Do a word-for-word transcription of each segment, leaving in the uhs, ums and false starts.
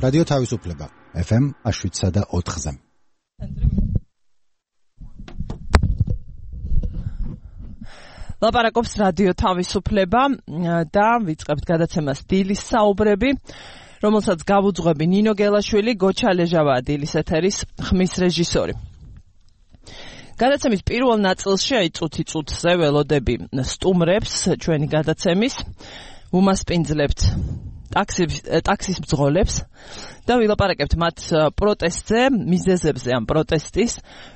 რადიო თავისუფლება ეფ ემ შვიდსა და ოთხზე. ლაპარაკობს რადიო თავისუფლება და ვიწყებთ გადაცემას დილის საუბრები, რომელსაც გავუძღვები ნინო გელაშვილი, გოჩა ლეჟავაა დილის ეთერის ხმის რეჟისორი. გადაცემის პირველ ნაწილში აი წუთი წუთზე ველოდები სტუმრებს ჩვენი გადაცემის, უმასპინძლებთ ტაქსის მძღოლებს და ვილაპარაკებთ მათ პროტესტზე, მიზეზებზე ამ პროტესტის,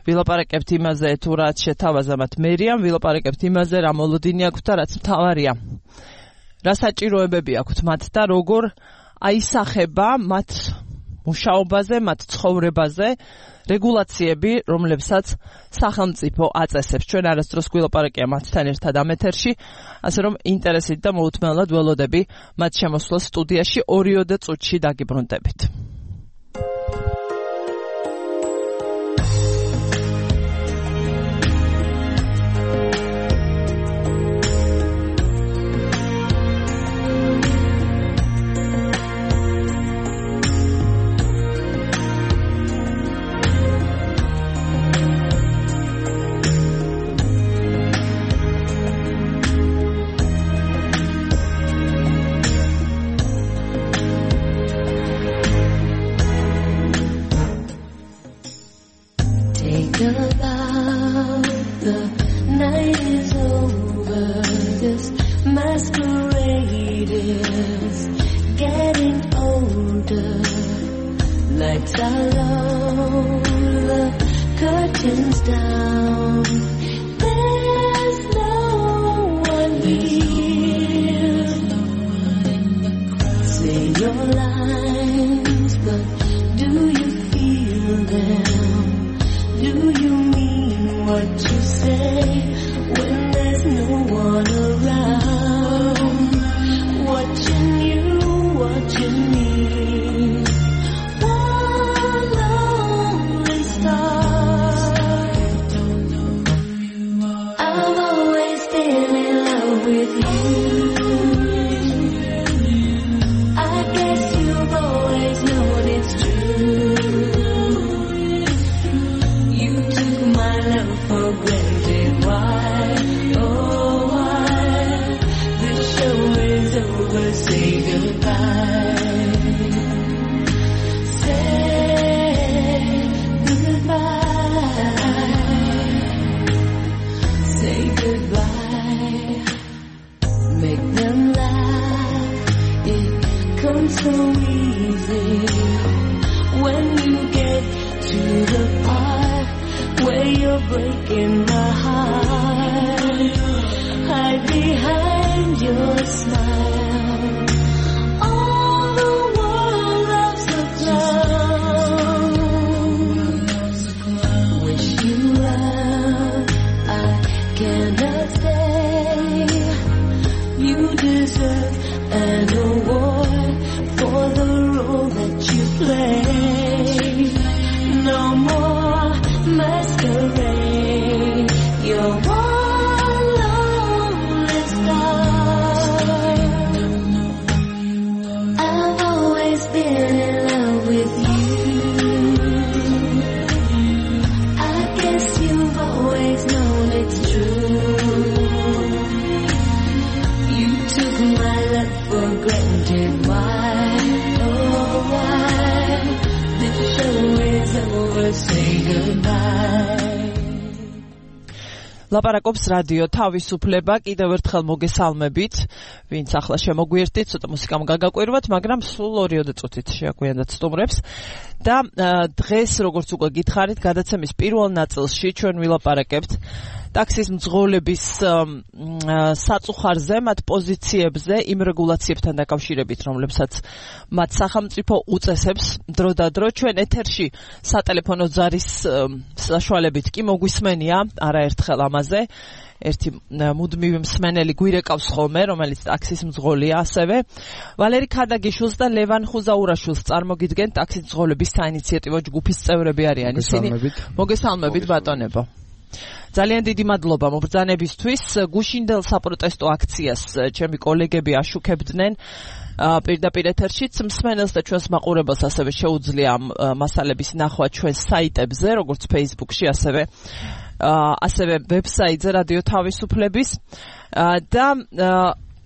ვილაპარაკებთ იმაზე, თუ რაც შეთავაზა მათ მერიამ, ვილაპარაკებთ იმაზე, რა მოლოდინი აქვთ და რაც მთავარია. რა საჭიროებები აქვთ მათ და როგორ აისახება მათ მუშაობაზე, მათ ცხოვრებაზე რეგულაციები, რომლებსაც სახელმწიფო აწესებს. ჩვენ არასდროს გვილაპარაკია მათთან ერთად ამ ეთერში, ასე რომ ინტერესით და მოუთმენლად ველოდები მათ შემოსვლას სტუდიაში ორიოდე წუთში დაგიბრუნდებით. ლაპარაკობს რადიო თავისუფლება, კიდევ ერთხელ მოგესალმებით, ვინც ახლა შემოგვიერთდით, ცოტა მუსიკამ გაგაკვირვათ, მაგრამ სულ ორიოდე წუთით შეაგვიანდათ სტუმრებს და დღეს, როგორც უკვე გითხარით, გადაცემის პირველ ნაწილში ჩვენ ვილაპარაკებთ ტაქსის მძღოლების საწუხარზე, მათ პოზიციებზე, იმ რეგულაციებთან დაკავშირებით, რომლებსაც მათ სახელმწიფო უწესებს დროდადრო. ჩვენ ეთერში სატელეფონო ზარის საშუალებით კი მოგვისმენია არაერთხელ ამაზე. ერთი მუდმივი მსმენელი გვირეკავს ხოლმე, რომელიც ტაქსის მძღოლია ასევე. ვალერი ქადაგიშვილს და ლევან ხუზაურაშვილს წარმოგიდგენ ტაქსის მძღოლების საინიციატივო ჯგუფის წევრები არიან ისინი. მოგესალმებით ბატონებო. ძალიან დიდი მადლობა მობრძანებისთვის. გუშინდელ საპროტესტო აქციას ჩემი კოლეგები აშუქებდნენ პირდაპირ ეთერშიც. მსმენელს და ჩვენს მაყურებელს ასევე შეუძლია მასალების ნახვა ჩვენს საიტებზე, როგორც Facebook-ში, ასევე ასევე ვებსაიტზე რადიო თავისუფლების და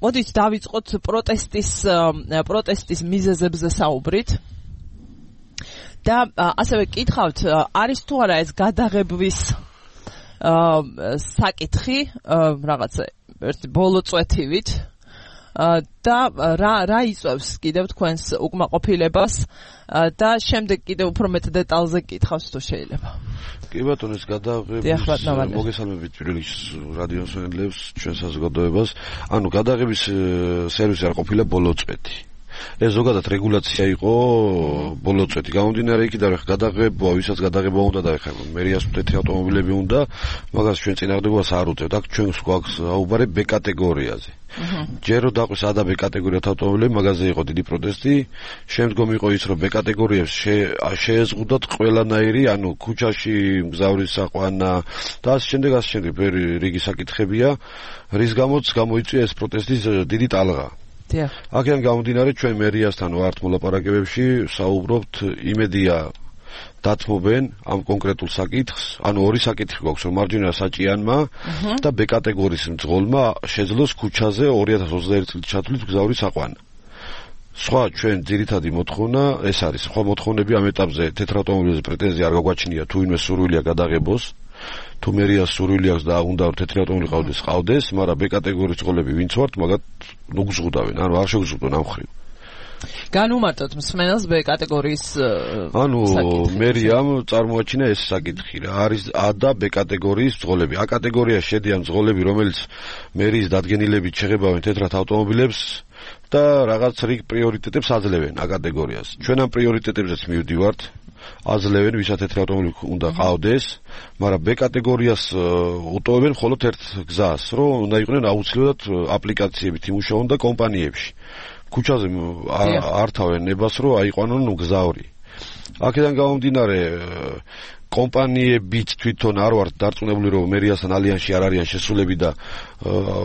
მოდით დავიწყოთ პროტესტის პროტესტის მიზეზებზე საუბრით. და ასევე კითხავთ, არის თუ არა ეს გადაღებვის საკითხი რაღაცა ერთი ბოლო წვეთივით და რა რა იწევს კიდევ თქვენს უკმაყოფილებას და შემდეგ კიდევ უფრო მეტ დეტალზე კითხავს თუ შეიძლება. კი ბატონო, ეს გადაღების მოგესალმებით პირველ რიგში რადიო მსმენელებს, ჩვენ საზოგადოებას. ანუ გადაღების სერვისი არ ყოფილა ბოლო წვეთი. ეს ზოგადად რეგულაცია იყო ბოლო წვეთი. გამომდინარე იქიდან რომ გადაღება, ვისაც გადაღება უნდა და ეხლა მერიას თეთრი ავტომობილები უნდა, მაგას ჩვენ წინააღმდეგობას არ უწევთ. აქ ჩვენ გვაქვს აუბარე B კატეგორიაზე. ჯერ რო დაყვის A და B კატეგორიათ ავტომობილები, მაგაზე იყო დიდი პროტესტი. შემდგომ იყო ის რომ B კატეგორიებს შეეზღუდათ ყველანაირი, ანუ ქუჩაში მგზავრის საყვანა და ასე შემდეგ, ასე შემდეგ. ბევრი რიგი საკითხებია, რის გამოც გამოიწვია ეს პროტესტის დიდი ტალღა. აქედან გამომდინარე ჩვენ მერიასთან ვართ მოლაპარაკებებში, საუბრობთ, იმედია დათმობენ ამ კონკრეტულ საკითხს, ანუ ორი საკითხი გვაქვს, რომ მარჯვენა საჭიანმა და B კატეგორიის მძღოლმა შეძლოს ქუჩაზე ორი ათას ოცდაერთი წლის ჩათვლით მგზავრის საყვანა. სხვა ჩვენ ძირითადი მოთხოვნა ეს არის. სხვა მოთხოვნები ამ ეტაპზე თეთრ ავტომობილებზე პრეტენზია არ გაგვაჩნია, თუ ვინმე სურვილია გადაღებოს. თუ მერიას სურვილი აქვს და უნდა რომ თეთრი ავტომობილი ყავდეს, ყავდეს, მაგრამ B კატეგორიის წყოლები ვინც ვართ, მაგათ ნუგზღუდავენ, ანუ არ შეგვიზღუდონ ამ ხრივ. განუმარტოთ მსმენელს B კატეგორიის ანუ მერიამ წარმოაჩინა ეს საკითხი რა, არის A და B კატეგორიის წყოლები. A კატეგორიაში შედიან წყოლები, რომელიც მერიის დადგენილებით შეღებავენ თეთრ ავტომობილებს და რაღაც რიგ პრიორიტეტებს აძლევენ A კატეგორიას. ჩვენ ამ პრიორიტეტებზეც მივდივართ. აძლევენ, ვისაც თეთრი ავტომობილი უნდა ყავდეს, მაგრამ B კატეგორიას უტოვებენ მხოლოდ ერთ გზას, რომ უნდა იყვნენ აუცილებლად აპლიკაციებით იმუშაონ და კომპანიებში. ქუჩაზე არ თავენ ნებას, რომ აიყვანონ მგზავრი. აქედან გამომდინარე, კომპანიებიც თვითონ არ ვართ დარწმუნებული, რომ მერიასთან ალიანსში არ არიან შესულები და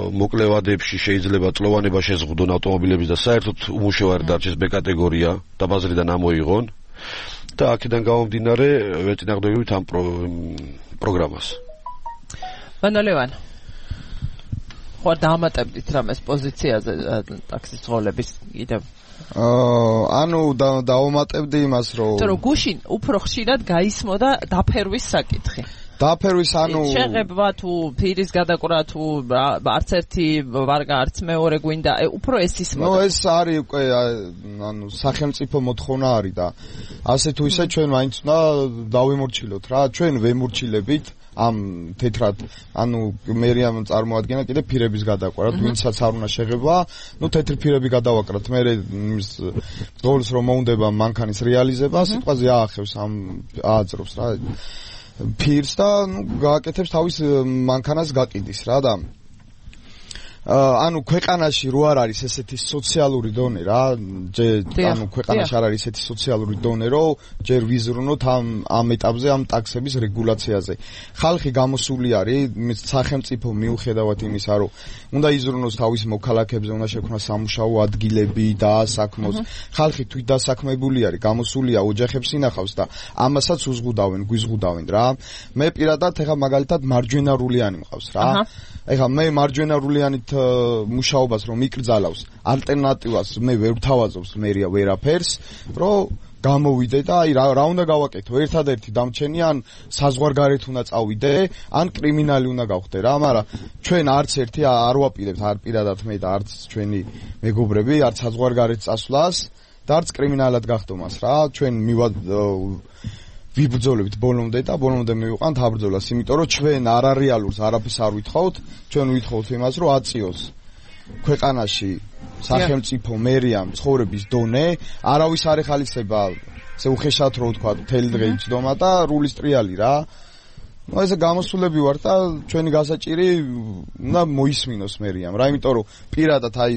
მოკლევადებში შეიძლება წლოვანება შეზღუდონ ავტომობილების და საერთოდ უმუშევარი დარჩეს B კატეგორია და ბაზრიდან ამოიღონ. და აქედან გამომდინარე ვეწინააღმდეგებით ამ პროგრამას. ვანდალევან, ხო დაამატებდით რამეს პოზიციაზე ტაქსის ძღოლების კიდევ? ანუ დაამატებდი იმას, რომ თორე გუშინ უფრო ხშირად გაისმოდა დაფერვის საკითხი. დაფერვის ანუ შეღება თუ ფირის გადაკვრა თუ არც ერთი ვარგა არც მეორე გვინდა, უფრო ეს ისმოდა. ნუ ეს არის უკვე ანუ სახელმწიფო მოთხოვნა არის და ასე თუ ისე ჩვენ მაინც უნდა დავემორჩილოთ რა, ჩვენ ვემორჩილებით ამ თეთრად, ანუ მერიამ წარმოადგენა კიდე ფირების გადაკვარა, ვინცაც არ უნდა შეღება, ნუ თეთრი ფირები გადავაკრათ, მე იმის დოლს რომ მოუნდება მანქანის რეალიზება, სიტყვაზე აახევს ამ ააძრობს რა ფირს და ნუ გააკეთებს თავის მანქანას გაყიდის რა და ანუ ქვეყანაში რო არ არის ესეთი სოციალური დონე რა, ანუ ქვეყანაში არ არის ესეთი სოციალური დონე, რომ ჯერ ვიზრუნოთ ამ ამ ეტაპზე ამ ტაქსების რეგულაციაზე. ხალხი გამოსული არის, სახელმწიფო მიუხედავად იმისა, რომ უნდა იზრუნოს თავის მოქალაქეებზე, უნდა შექმნას სამუშაო ადგილები და საქმოს. ხალხი თვით დასაქმებული არის, გამოსულია, ოჯახებს ინახავს და ამასაც უზღუდავენ, გვიზღუდავენ რა. მე პირადად ეხა მაგალითად მარჯვენა რულიანი მყავს რა. ეხა მე მარჯვენა რულიანით მუშაობას რომ მიკრძალავს, ალტერნატივას მე ვერ ვთავაზობს მერია ვერაფერს, რომ გამოვიდე და აი რა რა უნდა გავაკეთო, ერთადერთი დამჩენი ან საზღვარგარეთ უნდა წავიდე, ან კრიმინალი უნდა გავხდე რა, მაგრამ ჩვენ არც ერთი არ ვაპირებთ, არ პირადად მე და არც ჩვენი მეგობრები, არც საზღვარგარეთ წასვლას და არც კრიმინალად გახდომას რა, ჩვენ მივა ვიბრძოლებთ ბოლომდე და ბოლომდე მივიყვანთ აბრძოლას, იმიტომ რომ ჩვენ არარეალურს არაფერს არ ვითხოვთ, ჩვენ ვითხოვთ იმას, რომ აწიოს ქვეყანაში სახელმწიფო მერიამ ცხოვრების დონე, არავის არ ეხალისება, ესე უხეშად რო ვთქვა, მთელი დღე იცდომა და რულის ტრიალი რა. ნუ ესე გამოსულები ვარ და ჩვენი გასაჭირი უნდა მოისმინოს მერიამ რა, იმიტომ რომ პირადად აი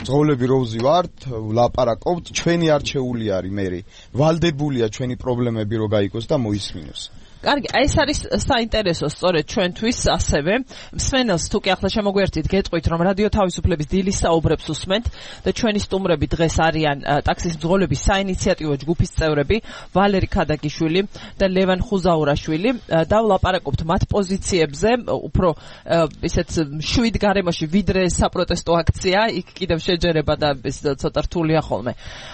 ძღოლები როუზი ვართ, ლაპარაკობთ, ჩვენი არჩეული არის მერი. ვალდებულია ჩვენი პრობლემები რო გაიგოს და მოისმინოს. კარგი, აი ეს არის საინტერესო სწორედ ჩვენთვის ასევე. მსმენელს თუ კი ახლა შემოგვერთით, გეტყვით რომ რადიო თავისუფლების დილის საუბრებს უსმენთ და ჩვენი სტუმრები დღეს არიან ტაქსის მძღოლების საინიციატივო ჯგუფის წევრები ვალერი ქადაგიშვილი და ლევან ხუზაურაშვილი. დავლაპარაკობთ მათ პოზიციებზე, უფრო ისეთ შვიდ გარემოში ვიდრე საპროტესტო აქცია, იქ კიდევ შეჯერება და ეს ცოტა რთულია ხოლმე.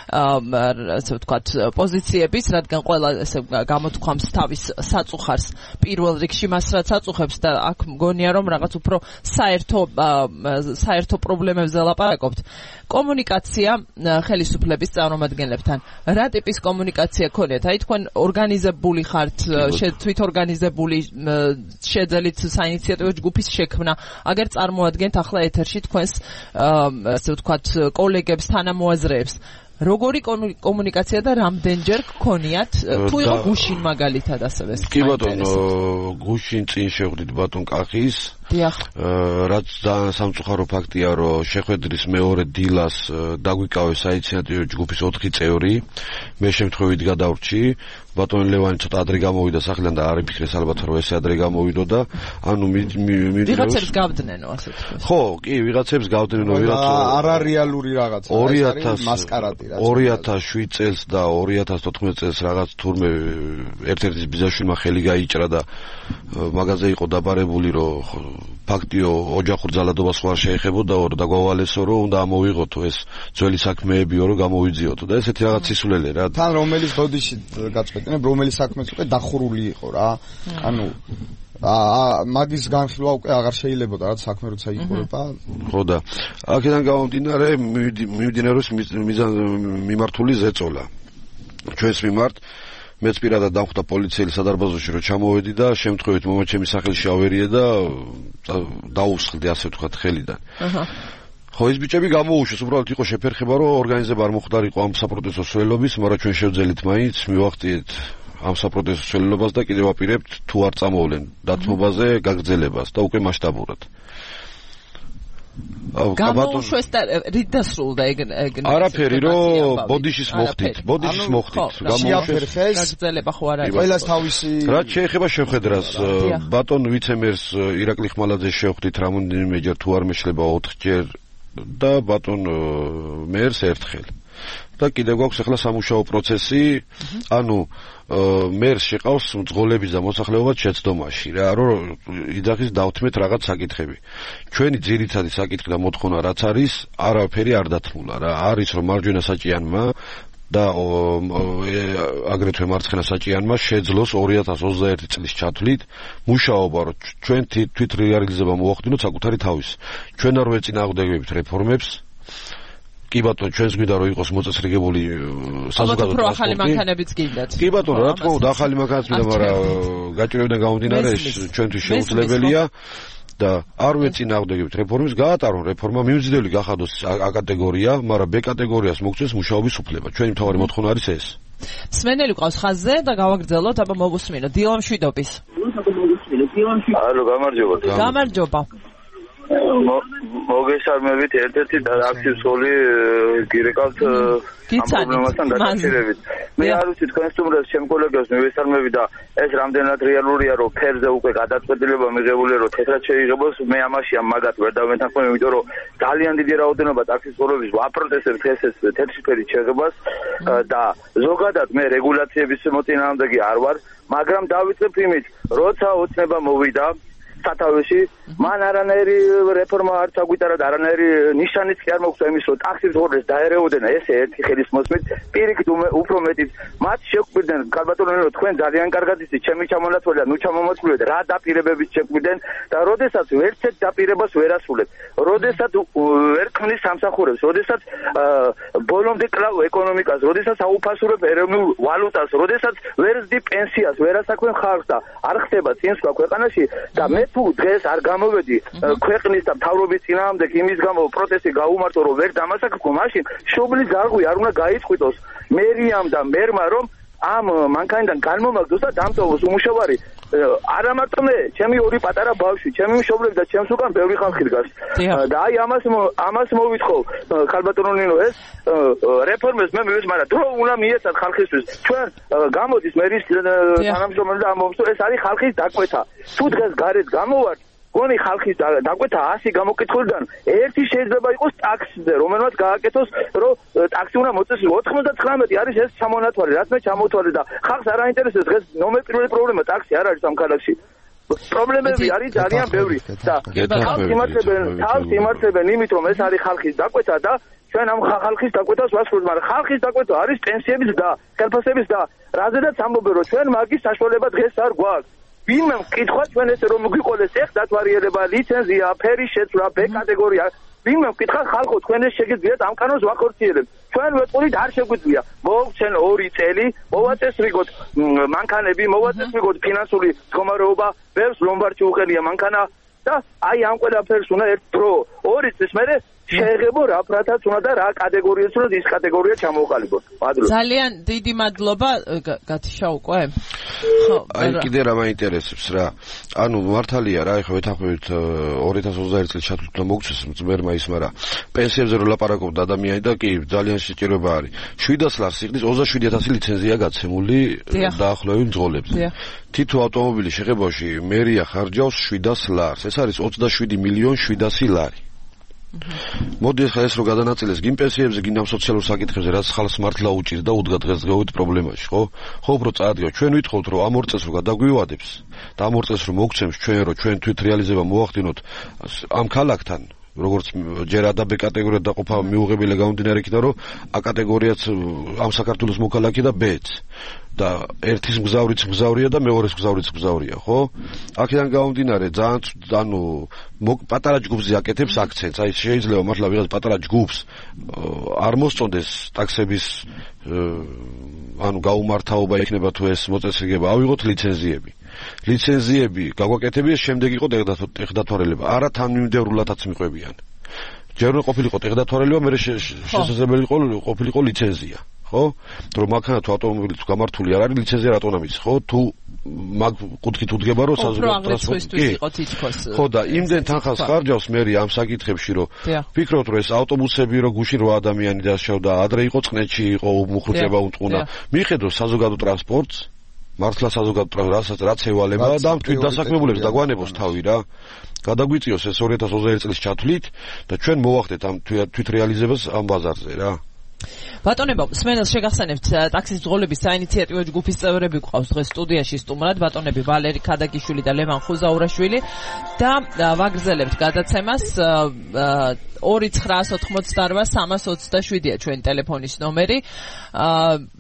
ასე ვთქვათ, პოზიციების, რადგან ყველა ესე გამოთქვამს თავის საწუხარს პირველ რიგში მას რაც აწუხებს და აქ მგონია რომ რაღაც უფრო საერთო საერთო პრობლემებზე ლაპარაკობთ. კომუნიკაცია ხელისუფლების წარმომადგენლებთან. რა ტიპის კომუნიკაცია გქონიათ? აი თქვენ ორგანიზებული ხართ, თვითორგანიზებული შეძელით საინიციატივო ჯგუფის შექმნა. აგერ წარმოადგენთ ახლა ეთერში თქვენს ასე ვთქვათ კოლეგებს, თანამოაზრეებს. როგორი კომუნიკაცია და რამდენჯერ გქონიათ? თუ იყო გუშინ მაგალითად ასევე. კი ბატონო, გუშინ წინ შევხვდით ბატონ კახის. დიახ. რაც ძალიან სამწუხარო ფაქტია, რომ შეხვედრის მეორე დილას დაგვიკავეს საინიციატივო ჯგუფის ოთხი წევრი. მე შემთხვევით გადავრჩი. ბატონ ლევანი ცოტა ადრე გამოვიდა სახლიდან და არ იფიქრეს ალბათ რომ ესე ადრე გამოვიდოდა. ანუ ვიღაცებს გავდნენო ასე თქვა. ხო, კი, ვიღაცებს გავდნენო, ვიღაც არარეალური რაღაცა. ორი ათას მასკარადი რაც. ორი ათას შვიდ წელს და ორი ათას თოთხმეტ წელს რაღაც თურმე ერთ-ერთის ბიზაშვილმა ხელი გაიჭრა და მაგაზე იყო დაბარებული რომ ფაქტიო ოჯახურ ძალადობას ხوار შეეხებოდა და გვავალესო რომ უნდა ამოვიღოთო ეს ძველი საქმეებიო რომ გამოვიძიოთო და ესეთი რაღაც სისულელე რა. თან რომელიც ბოდიში გაწყვეტინებ, რომელი საქმეც უკვე დახურული იყო რა. ანუ აა მაგის განხილვა უკვე აღარ შეიძლებოდა რა საქმე როცა იყურება. ხო და აქედან გამომდინარე მიმდინარეობს მიმართული ზეწოლა. ჩვენს მიმართ მეც პირადად დავხვდა პოლიციელი სადარბაზოში რომ ჩამოვედი და შემთხვევით მომაჩემი სახელში ავერიე და დაუსხლდი ასე ვთქვათ ხელიდან. აჰა. ხო ეს ბიჭები გამოუშვეს, უბრალოდ იყო შეფერხება რომ ორგანიზება არ მოხდარიყო ამ საპროტესტო სველობის, მაგრამ ჩვენ შევძელით მაინც მივახტიეთ ამ საპროტესტო სველობას და კიდევ აპირებთ თუ არ წამოვლენ დათმობაზე გაგრძელებას და უკვე მასშტაბურად. გამოუშვეს და რით დასრულდა ეგ ეგ არაფერი რომ ბოდიშის მოხდით ბოდიშის მოხდით გამოუშვეს გაგრძელება ხო არა ყველას თავისი რაც შეეხება შეხვედრას ბატონ ვიცემერს ირაკლი ხმალაძეს შევხვდით რამოდენიმეჯერ თუ არ მეშლება ოთხჯერ და ბატონ მერს ერთხელ და კიდევ გვაქვს ახლა სამუშაო პროცესი ანუ მერს შეყავს მძღოლების და მოსახლეობაც შეცდომაში რა რომ იძახის დავთმეთ რაღაც საკითხები ჩვენი ძირითადი საკითხი და მოთხოვნა რაც არის არაფერი არ დათმულა რა არის რომ მარჯვენა საჭიანმა და აგრეთვე მარცხენა საჭიანმა შეძლოს ორი ათას ოცდაერთი წლის ჩათვლით მუშაობა რომ ჩვენ თვით რეალიზება მოახდინოთ საკუთარი თავის ჩვენ არ ვეწინააღმდეგებთ რეფორმებს კი ბატონო ჩვენს გვინდა რომ იყოს მოწესრიგებული საზოგადო ტრანსპორტი. ახალი მანქანებიც გინდათ. კი ბატონო რა თქმა უნდა ახალი მანქანაც მინდა, მაგრამ გაჭირვებიდან გამომდინარე ჩვენთვის შეუძლებელია და არ ვეწინააღმდეგებთ რეფორმის, გაატარონ რეფორმა, მიმზიდველი გახადოს A კატეგორია, მაგრამ B კატეგორიას მოგწეს მუშაობის უფლება. ჩვენი მთავარი მოთხოვნა არის ეს. სმენელი ყავს ხაზზე და გავაგრძელოთ, აბა მოგუსმინო. დილამ შვიდობის. ალო, გამარჯობა. გამარჯობა. მოგესალმებით ერთ-ერთი აქტივს ხოლი გირეკავთ ამ პრობლემასთან დაკავშირებით. მე არ ვიცი თქვენ სტუმრებს ჩემ კოლეგებს მივესალმები და ეს რამდენად რეალურია რომ ფერზე უკვე გადაწყვეტილება მიღებულია რომ თეთრად შეიღებოს მე ამაში ამ მაგათ ვერ დავეთანხმები იმიტომ რომ ძალიან დიდი რაოდენობა ტაქსის ყურების ვაპროტესტებთ ეს თეთრი ფერის შეღებას და ზოგადად მე რეგულაციების მოწინააღმდეგე არ ვარ მაგრამ დავიწყებ იმით როცა ოცნება მოვიდა სათავეში მან არანაირი რეფორმა არ წაგვიტარა და არანაირი ნიშანიც კი არ მოგვცა იმის რომ ტაქსის ღორეს დაერეოდენ ესე ერთი ხელის მოსმით პირიქით უფრო მეტიც მათ შეგვიდნენ კარბატონელო თქვენ ძალიან კარგად იცით ჩემი ჩამონაცვალა ნუ ჩამომაცვლეთ რა დაპირებებით შეგვიდნენ და როდესაც ვერცეთ დაპირებას ვერ ასრულებთ როდესაც ვერ ქმნის სამსახურებს როდესაც ბოლომდე კლავ ეკონომიკას როდესაც აუფასურებ ეროვნულ ვალუტას როდესაც ვერ ზდი პენსიას ვერ ასაქმენ ხალხს და არ ხდება წინსვლა ქვეყანაში და მე თუ დღეს არ გამოვედი ქვეყნის და მთავრობის წინააღმდეგ იმის გამო პროტესტი გაუმართო რომ ვერ დამასაკრებო მაშინ შობლის გარღვი არ უნდა გაიწყვიტოს მერიამ და მერმა რომ ამ მანქანიდან განმომაგდოს და დამტოვოს უმუშავარი არა მარტო მე, ჩემი ორი პატარა ბავშვი, ჩემი მშობლები და ჩემს უკან ბევრი ხალხი დგას. და აი ამას ამას მოვითხო ხალბატონო ნინო ეს რეფორმებს მე მივეც, მაგრამ დრო უნდა მიეცათ ხალხისთვის. ჩვენ გამოდის მერის თანამშრომელი და ამბობს, რომ ეს არის ხალხის დაკვეთა. თუ დღეს გარეთ გამოვართ გონი ხალხის დაკვეთა ასი გამოკითხულიდან ერთი შეიძლება იყოს ტაქსზე, რომელმაც გააკეთოს, რომ ტაქსი უნდა მოწესოს. ოთხმოცდათხრამეტი არის ეს ჩამონათვალი, რაც მე ჩამოთვალე და ხალხს არ აინტერესებს დღეს ნომერ პირველი პრობლემა ტაქსი არ არის ამ ქალაქში. პრობლემები არის ძალიან ბევრი და თავს იმართებენ, თავს იმართებენ იმით, რომ ეს არის ხალხის დაკვეთა და ჩვენ ამ ხალხის დაკვეთას ვასრულებთ, მაგრამ ხალხის დაკვეთა არის პენსიების და ხელფასების და რაზედაც ამბობენ, რომ ჩვენ მაგის საშუალება დღეს არ გვაქვს. ვინმე მკითხვა ჩვენ ესე რომ გვიყოლეს ეხ დათვარიერება, ლიცენზია, ფერის შეცვლა, ბ კატეგორია. ვინმე მკითხა ხალხო თქვენ ეს შეგიძლიათ ამ კანონს ვახორციელებთ. ჩვენ ვეწყურით არ შეგვიძლია. მოვცენ ორი წელი, მოვაწესრიგოთ მანქანები, მოვაწესრიგოთ ფინანსური მდგომარეობა, ბევრს ლომბარდში უყენია მანქანა და აი ამ ყველაფერს უნდა ერთ დრო ორი წლის მერე შეეღებო რა ფრათაც უნდა და რა კატეგორიას უნდა ის კატეგორია ჩამოყალიბოთ. მადლობა. ძალიან დიდი მადლობა გათიშა უკვე. ხო, აი კიდე რა მაინტერესებს რა. ანუ მართალია რა, ეხლა ვეთანხმებით ორი ათას ოცდაერთი წელს ჩათვლით მოგწეს მძმერმა ის, მაგრამ პენსიებზე რო ლაპარაკობდა ადამიანი და კი ძალიან შეჭირება არის. შვიდას ლარს იყდის ოცდაშვიდი ათასი ლიცენზია გაცემული დაახლოებით მძღოლებს. თითო ავტომობილის შეხებაში მერია ხარჯავს შვიდას ლარს. ეს არის ოცდაშვიდი მილიონი შვიდასი ლარი. მოდი ახლა ეს რო გადანაწილეს გინ პენსიებზე, გინ ამ სოციალურ საკითხებზე, რაც ხალხს მართლა უჭირს და უდგა დღესდღეობით პრობლემაში, ხო? ხო, უფრო წაადგა. ჩვენ ვითხოვთ, რომ ამ ორ წელს რო გადაგვივადებს და ამ ორ წელს რო მოგცემს ჩვენ, რომ ჩვენ თვით რეალიზება მოახდინოთ ამ ქალაქთან, როგორც ჯერ ა და ბ კატეგორიად დაყოფა მიუღებელია გამომდინარე იქიდან, რომ ა კატეგორიაც ამ საქართველოს მოქალაქე და ბ-ც და ერთის მგზავრიც მგზავრია და მეორეს მგზავრიც მგზავრია, ხო? აქედან გამომდინარე ძალიან ანუ პატარა ჯგუფზე აკეთებს აქცენტს. აი შეიძლება მართლა ვიღაც პატარა ჯგუფს არ მოსწონდეს ტაქსების ანუ გაუმართავობა იქნება თუ ეს მოწესრიგება, ავიღოთ ლიცენზიები. ლიცენზიები გაგვაკეთებია, შემდეგ იყო ტექდათვალიერება. არა თანმიმდევრულადაც მიყვებიან. ჯერ უნდა ყოფილიყო ტექდათვალიერება, მერე შესაძლებელი ყოფილიყო ლიცენზია. ხო? რომ მანქანა თუ ავტომობილი თუ გამართული არ არის, ლიცენზია რატომ ამის, ხო? თუ მაგ კუთხით უდგება, რომ საზოგადო ტრანსპორტი იყო თითქოს. ხო და იმდენ თანხას ხარჯავს მერი ამ საკითხებში, რომ ფიქრობთ, რომ ეს ავტობუსები რო გუშინ რვა ადამიანი დასშავდა, ადრე იყო წყნეთში, იყო მუხრუჭება უტყუნა. მიხედოს საზოგადო ტრანსპორტს, მართლა საზოგადო ტრანსპორტს რაც ევალება და ამ თვით დასაქმებულებს დაგვანებოს თავი რა. გადაგვიწიოს ეს ორი ათას ოცდაერთი წლის ჩათვლით და ჩვენ მოვახდეთ ამ თვით რეალიზებას ამ ბაზარზე რა. ბატონებო, სმენელს შეგახსენებთ ტაქსის მძღოლების საინიციატივო ჯგუფის წევრები გვყავს დღეს სტუდიაში სტუმრად, ბატონები ვალერი ქადაგიშვილი და ლევან ხუზაურაშვილი და ვაგრძელებთ გადაცემას ორი ცხრაას ოთხმოცდარვა სამას ოცდაშვიდია ჩვენი ტელეფონის ნომერი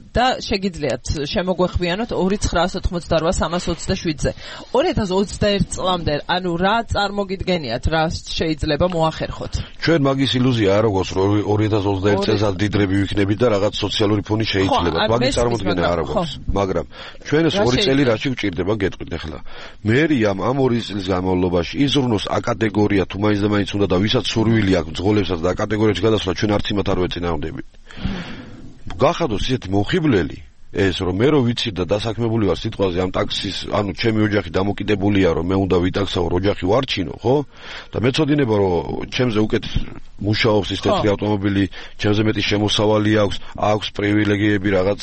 და შეგიძლიათ შემოგვეხვიანოთ ორი ცხრაას ოთხმოცდარვა სამას ოცდაშვიდზე. ორი ათას ოცდაერთი წლამდე, ანუ რა წარმოგიდგენიათ, რა შეიძლება მოახერხოთ? ჩვენ მაგის ილუზია არ აქვს, რომ ორი ათას ოცდაერთი წელს დიდრები ვიქნებით და რაღაც სოციალური ფონი შეიძლება. მაგის წარმოდგენა არ აქვს, მაგრამ ჩვენ ეს ორი წელი რაში გვჭირდება გეტყვით ახლა. მერი ამ ამ ორი წლის განმავლობაში იზრუნოს ა კატეგორია თუ მაინც და მაინც უნდა და ვისაც სურვილი აქვს მძღოლებსაც და კატეგორიაში გადასვლა ჩვენ არც იმათ არ ვეწინააღმდებით. გახადოს ისეთი მომხიბვლელი ეს რომ მე რო ვიცი და დასაქმებული ვარ სიტყვაზე ამ ტაქსის, ანუ ჩემი ოჯახი დამოკიდებულია რომ მე უნდა ვიტაქსავ ოჯახი ვარჩინო, ხო? და მეწოდინება რომ ჩემზე უკეთ მუშაობს ის თეთრი ავტომობილი, ჩემზე მეტი შემოსავალი აქვს, აქვს პრივილეგიები რაღაც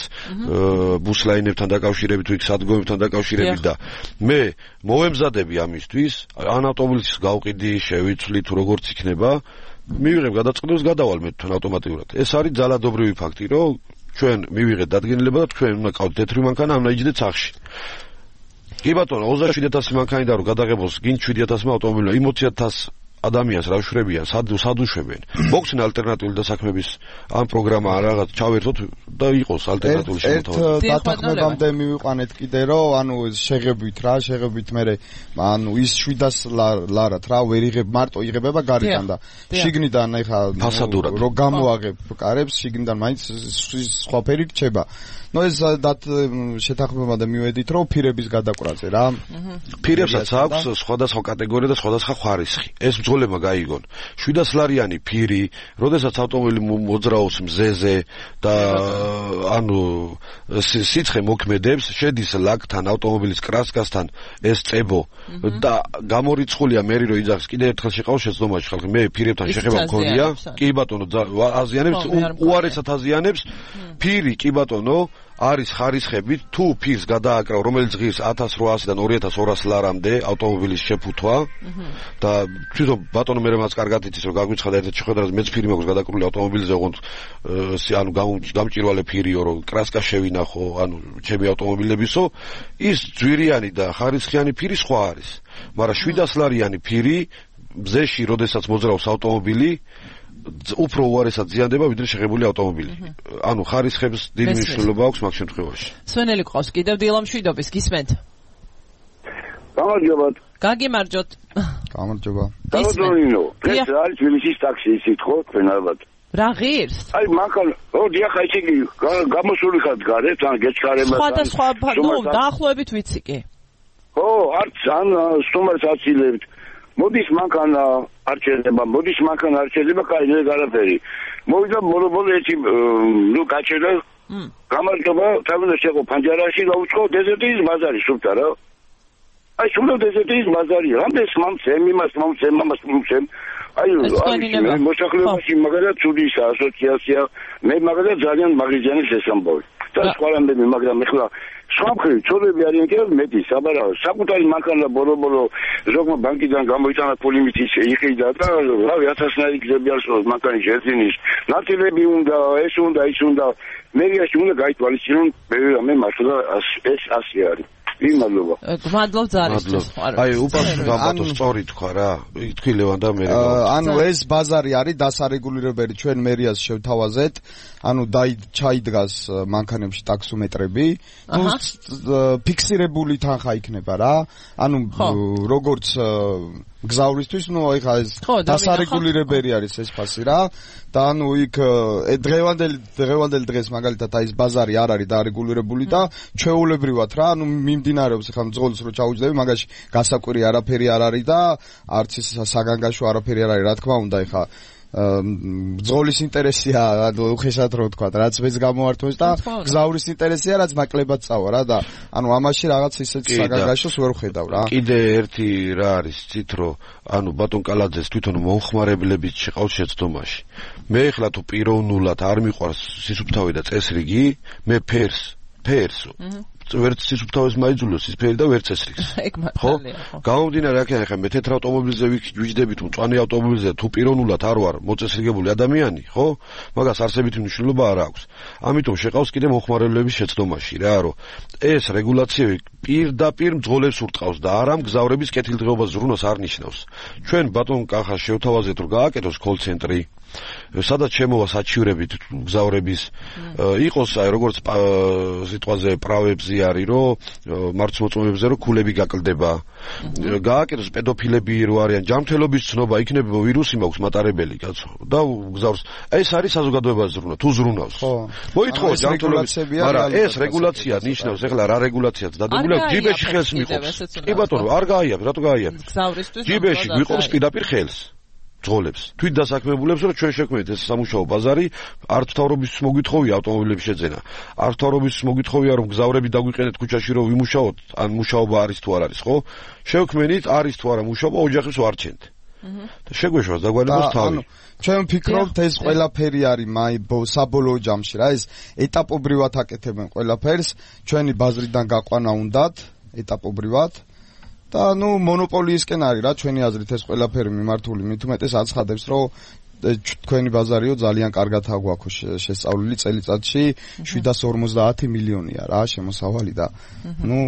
ბუსლაინებთან დაკავშირებით, თუ იქ სადგომებთან დაკავშირებით და მე მოვემზადები ამისთვის, ან ავტომობილის გავყიდი, შევიცვლი თუ როგორც იქნება, მივიღებ გადაწყდებს, გადავალ მე თან ავტომატურად. ეს არის ძალადობრივი ფაქტი, რომ ჩვენ მივიღეთ დადგენილება და თქვენ უნდა ყავთ თეთრი მანქანა, ამ ნაიჯდეთ სახში. კი ბატონო, ოცდაშვიდი ათასი მანქანიდან რომ გადაღებოს გინ შვიდი ათასმა ავტომობილმა, იმ ოცი ათას ადამიანს რა შვებიან, სად სადუშვებენ. მოგცენ ალტერნატიული დასაქმების ამ პროგრამა რაღაც ჩავერთოთ და იყოს ალტერნატიული შემოთავაზება. ერთ დათანხმებამდე მივიყვანეთ კიდე რომ ანუ შეღებით რა, შეღებით მე ანუ ის შვიდას ლარად რა ვერ იღებ, მარტო იღებება გარედან და შიგნიდან ეხა რომ გამოაღებ კარებს, შიგნიდან მაინც სხვა ფერი რჩება. ნუ ეს დათ შეთანხმებამდე მივედით რომ ფირების გადაკვრაზე რა. ფირებსაც აქვს სხვადასხვა კატეგორია და სხვადასხვა ხარისხი. ეს მძღოლებმა გაიგონ. შვიდას ლარიანი ფირი, როდესაც ავტომობილი მოძრაობს მზეზე და ანუ სიცხე მოქმედებს, შედის ლაკთან, ავტომობილის კრასკასთან ეს წებო და გამორიცხულია მე რო იძახს კიდე ერთხელ შეყავს შეცდომაში ხალხი. მე ფირებთან შეხება მქონია. კი ბატონო, აზიანებს, უარესად აზიანებს. ფირი კი ბატონო არის ხარისხებით, თუ ფირს გადააკრავ, რომელიც ღირს ათას რვაასიდან ორი ათას ორას ლარამდე ავტომობილის შეფუთვა და თვითონ ბატონო მე რაც კარგად იცის რომ გაგვიცხადა ერთ შეხვედრაზე მეც ფირი მაქვს გადაკრული ავტომობილზე, ოღონდ ანუ გამჭირვალე ფირიო რომ კრასკა შევინახო, ანუ ჩემი ავტომობილებისო, ის ძვირიანი და ხარისხიანი ფირი სხვა არის. მაგრამ შვიდას ლარიანი ფირი მზეში, როდესაც მოძრაობს ავტომობილი უფრო უარესად ზიანდება ვიდრე შეხებული ავტომობილი. ანუ ხარისხებს დიდი მნიშვნელობა აქვს მაგ შემთხვევაში. სვენელი ყავს კიდევ დილამშვიდობის, გისმენთ? გამარჯობა. გაგიმარჯოთ. გამარჯობა. გამარჯობა. ეს არის თბილისის ტაქსი, ისიც ხო, თქვენ ალბათ. რა ღირს? აი მანქანა, ო დიახ, აი იგი გამოსული ხარ გარეთ, ან გეჩქარება. სხვადასხვა, ნუ დაახლოებით ვიცი კი. ო, არც ან სტუმარს აცილებით. მოდის მანქანა არ შეიძლება, მოდის მანქანა არ შეიძლება, კაი δεν არაფერი. მოვიდა მოლობოლი ერთი ნუ გაჩერდა. გამარჯობა, თავიდან შეყო პანჯარაში და უცხო დეზერტის ბაზარი სუფთა რა. აი სულ დეზერტის ბაზარი, რამდენს მომცემ, იმას მომცემ, ამას მომცემ. აი აი მოსახლეობაში მაგალითად ცუდის ასოციაცია, მე მაგალითად ძალიან მაგრიზიანი შესამბავი. და სხვა რამდენი, მაგრამ ეხლა სამხრივ ცოლები არიან კიდევ მეტი, საბარავო, საკუთარი მანქანა ბოლო-ბოლო ზოგმა ბანკიდან გამოიტანა ფული მითის იყიდა და რავი ათასნაირი გზები არის მანქანის ეძინის, ნაწილები უნდა, ეს უნდა, ის უნდა, მერიაში უნდა გაითვალისწინონ, მე მართლა ეს ასე არის. იმადლობა. გმადლობ ძალისთვის. აი უპასუხო გამბატო სწორი თქვა რა. თქვი ლევან და მე. ანუ ეს ბაზარი არის დასარეგულირებელი, ჩვენ მერიას შევთავაზეთ. ანუ დაი ჩაიდგას მანქანებში ტაქსომეტრები. ნუ ფიქსირებული თანხა იქნება რა. ანუ როგორც გზავრისთვის, ნუ ეხა ეს დასარეგულირებელი არის ეს ფასი რა. და ანუ იქ დღევანდელ დღევანდელ დღეს მაგალითად აი ეს ბაზარი არ არის დარეგულირებული და ჩვეულებრივად რა, ანუ მიმდინარეობს ეხლა მძღოლს რო ჩაუჯდები, მაგაში გასაკვირი არაფერი არ არის და არც ის საგანგაშო არაფერი არ არის, რა თქმა უნდა, ეხლა მძღოლის ინტერესია, უხეშად რო ვთქვა, რაც მეც გამოვართვეს და გზავრის ინტერესია, რაც ნაკლებად წავა რა და ანუ ამაში რაღაც ისეთ საგანგაშოს ვერ ვხედავ რა. კიდე ერთი რა არის ცით რო ანუ ბატონ კალაძეს თვითონ მომხმარებლებით შეყავს შეცდომაში. მე ეხლა თუ პიროვნულად არ მიყვარს სისუფთავე და წესრიგი, მე ფერს ფერს ვერც სისუფთავეს მაიძულოს ის ფერი და ვერც წესრიგს. ხო? გამომდინარე აქ ახლა მე თეთრ ავტომობილზე ვიჯდებით, მწვანე ავტომობილზე თუ პიროვნულად არ ვარ მოწესრიგებული ადამიანი, ხო? მაგას არსებითი მნიშვნელობა არ აქვს. ამიტომ შეყავს კიდე მომხმარებლების შეცდომაში რა, რომ ეს რეგულაციები პირდაპირ მძღოლებს ურტყავს და არა მგზავრების კეთილდღეობას ზრუნვას არ ნიშნავს. ჩვენ ბატონ კახას შევთავაზეთ რომ გააკეთოს კოლ-ცენტრი, სადაც შემოვა საჩივრებით გზავრების, იყოს აი როგორც სიტყვაზე პრავებზე არის რომ მარცმოწმობებზე რომ ქულები გაკლდება, გააკეთოს პედოფილები რო არიან, ჯანმრთელობის ცნობა, იქნება ვირუსი მაქვს მატარებელი კაცო და გზავრს ეს არის საზოგადოებას ზრუნვა, თუ ზრუნავს. მოითხოვო ჯანმრთელობის, მაგრამ ეს რეგულაცია ნიშნავს ეხლა რა რეგულაციაც დადებული აქვს, ჯიბეში ხელს მიყოფს. კი ბატონო, არ გაიარეთ, რატო გაიარეთ? ჯიბეში გვიყოფს პირდაპირ ხელს. ძღოლებს. თვით დასაქმებულებს რომ ჩვენ შექმნით ეს სამუშაო ბაზარი, არც მთავრობისთვის მოგვითხოვია ავტომობილების შეძენა. არც მთავრობისთვის მოგვითხოვია რომ გზავრები დაგვიყენეთ ქუჩაში რომ ვიმუშაოთ, ან მუშაობა არის თუ არ არის, ხო? შევქმნით, არის თუ არა მუშაობა, ოჯახებს ვარჩენთ. და შეგვეშვას დაგვალებოს თავი. ჩვენ ვფიქრობთ ეს ყველაფერი არის მაი საბოლოო ჯამში რა, ეს ეტაპობრივად აკეთებენ ყველაფერს, ჩვენი ბაზრიდან გაყვანა უნდათ ეტაპობრივად. და ნუ მონოპოლიისკენ არის რა ჩვენი აზრით ეს ყველაფერი მიმართული, მით უმეტეს აცხადებს რომ თქვენი ბაზარიო ძალიან კარგად აგვაქვს შესწავლილი წელიწადში შვიდას ორმოცდაათი მილიონია რა შემოსავალი და ნუ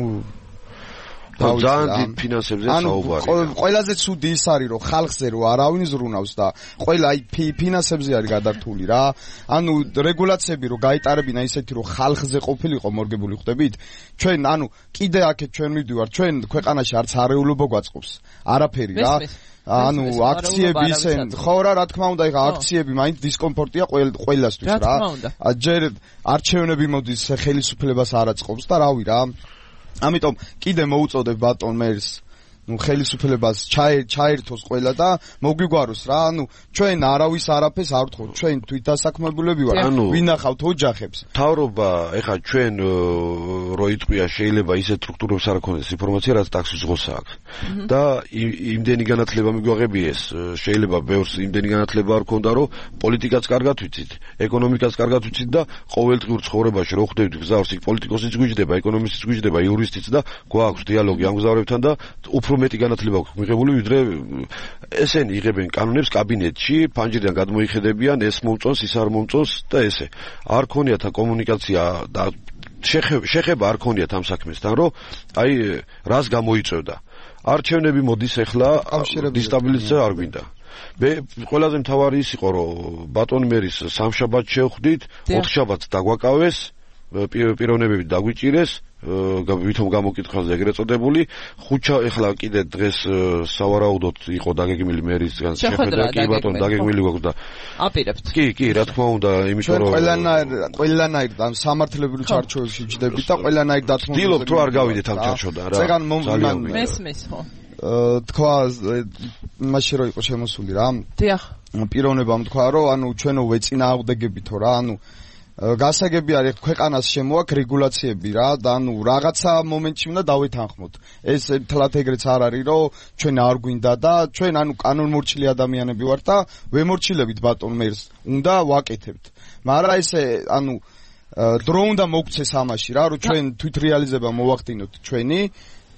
ძალიან დიდ ფინანსებზე საუბარია. ყველაზე ცუდი ის არის რომ ხალხზე რო არავინ ზრუნავს და ყველა აი ფინანსებზე არის გადართული რა. ანუ რეგულაციები რო გაიტარებინა ისეთი რომ ხალხზე ყოფილიყო მორგებული ხდებით. ჩვენ ანუ კიდე აქეთ ჩვენ მივდივართ, ჩვენ ქვეყანაში არც არეულობა გვაწყობს. არაფერი რა. ანუ აქციები ისენ ხო რა რა თქმა უნდა ეხა აქციები მაინც დისკომფორტია ყველასთვის რა. ჯერ არჩევნები მოდის ხელისუფლებას არ აწყობს და რავი რა. ამიტომ კიდე მოუწოდებ ბატონ მერს ნუ ხელისუფლებას ჩაერთოს ყველა და მოგვიგვაროს რა, ანუ ჩვენ არავის არაფერს არ ვთხოვთ, ჩვენ თვითდასაქმებულები ვართ, ვინახავთ ოჯახებს. თავრობა, ეხლა ჩვენ რო იტყვია შეიძლება ისეთ სტრუქტურებს არ ქონდეს ინფორმაცია, რაც ტაქსის ზღოსა აქვს. და იმდენი განათლება მიგვაღებიეს, შეიძლება ბევრს იმდენი განათლება არ ქონდა, რომ პოლიტიკაც კარგად ვიცით, ეკონომიკაც კარგად ვიცით და ყოველდღიურ ცხოვრებაში რო ხვდებით გზავრს, იქ პოლიტიკოსიც გვიჯდება, ეკონომისტიც გვიჯდება, იურისტიც და გვაქვს დიალოგი ამ გზავრებთან და უფრო მეტი განათლება აქვს მიღებული, ვიდრე ესენი იღებენ კანონებს კაბინეტში, ფანჯრიდან გადმოიხედებიან, ეს მომწონს, ის არ მომწონს და ესე. არ ქონიათ კომუნიკაცია და შეხება არ ქონიათ ამ საქმესთან, რომ აი რას გამოიწევდა. არჩევნები მოდის ახლა დისტაბილიზაცია არ გვინდა. მე ყველაზე მთავარი ის იყო, რომ ბატონ მერის სამშაბათს შევხვდით, ოთხშაბათს დაგვაკავეს, პიროვნებები დაგვიჭირეს, ვითომ გამოკითხვაზე ეგრეთ წოდებული, ხუჩა ეხლა კიდე დღეს სავარაუდოდ იყო დაგეგმილი მერისგან შეხვედრა, კი ბატონ დაგეგმილი გვაქვს და აპირებთ. კი, კი, რა თქმა უნდა, იმიტომ რომ ყველანაირ ყველანაირ ამ სამართლებრივ ჩარჩოებში ვჯდებით და ყველანაირ დათმობაზე ვთილობთ რომ არ გავიდეთ ამ ჩარჩოდან რა. ზეგან მომვიდან მესმის ხო? თქვა მაშინ რო იყო შემოსული რა. დიახ. პიროვნებამ თქვა რომ ანუ ჩვენო ვეწინააღმდეგებითო რა, ანუ გასაგები არის ქვეყანას შემოაქვს რეგულაციები რა და ანუ რაღაცა მომენტში უნდა დავეთანხმოთ. ეს თლათ ეგრეც არ არის რომ ჩვენ არ გვინდა და ჩვენ ანუ კანონმორჩილი ადამიანები ვართ და ვემორჩილებით ბატონ მერს უნდა ვაკეთებთ. მაგრამ ესე ანუ დრო უნდა მოგცეს ამაში რა რომ ჩვენ თვით რეალიზება მოვახდინოთ ჩვენი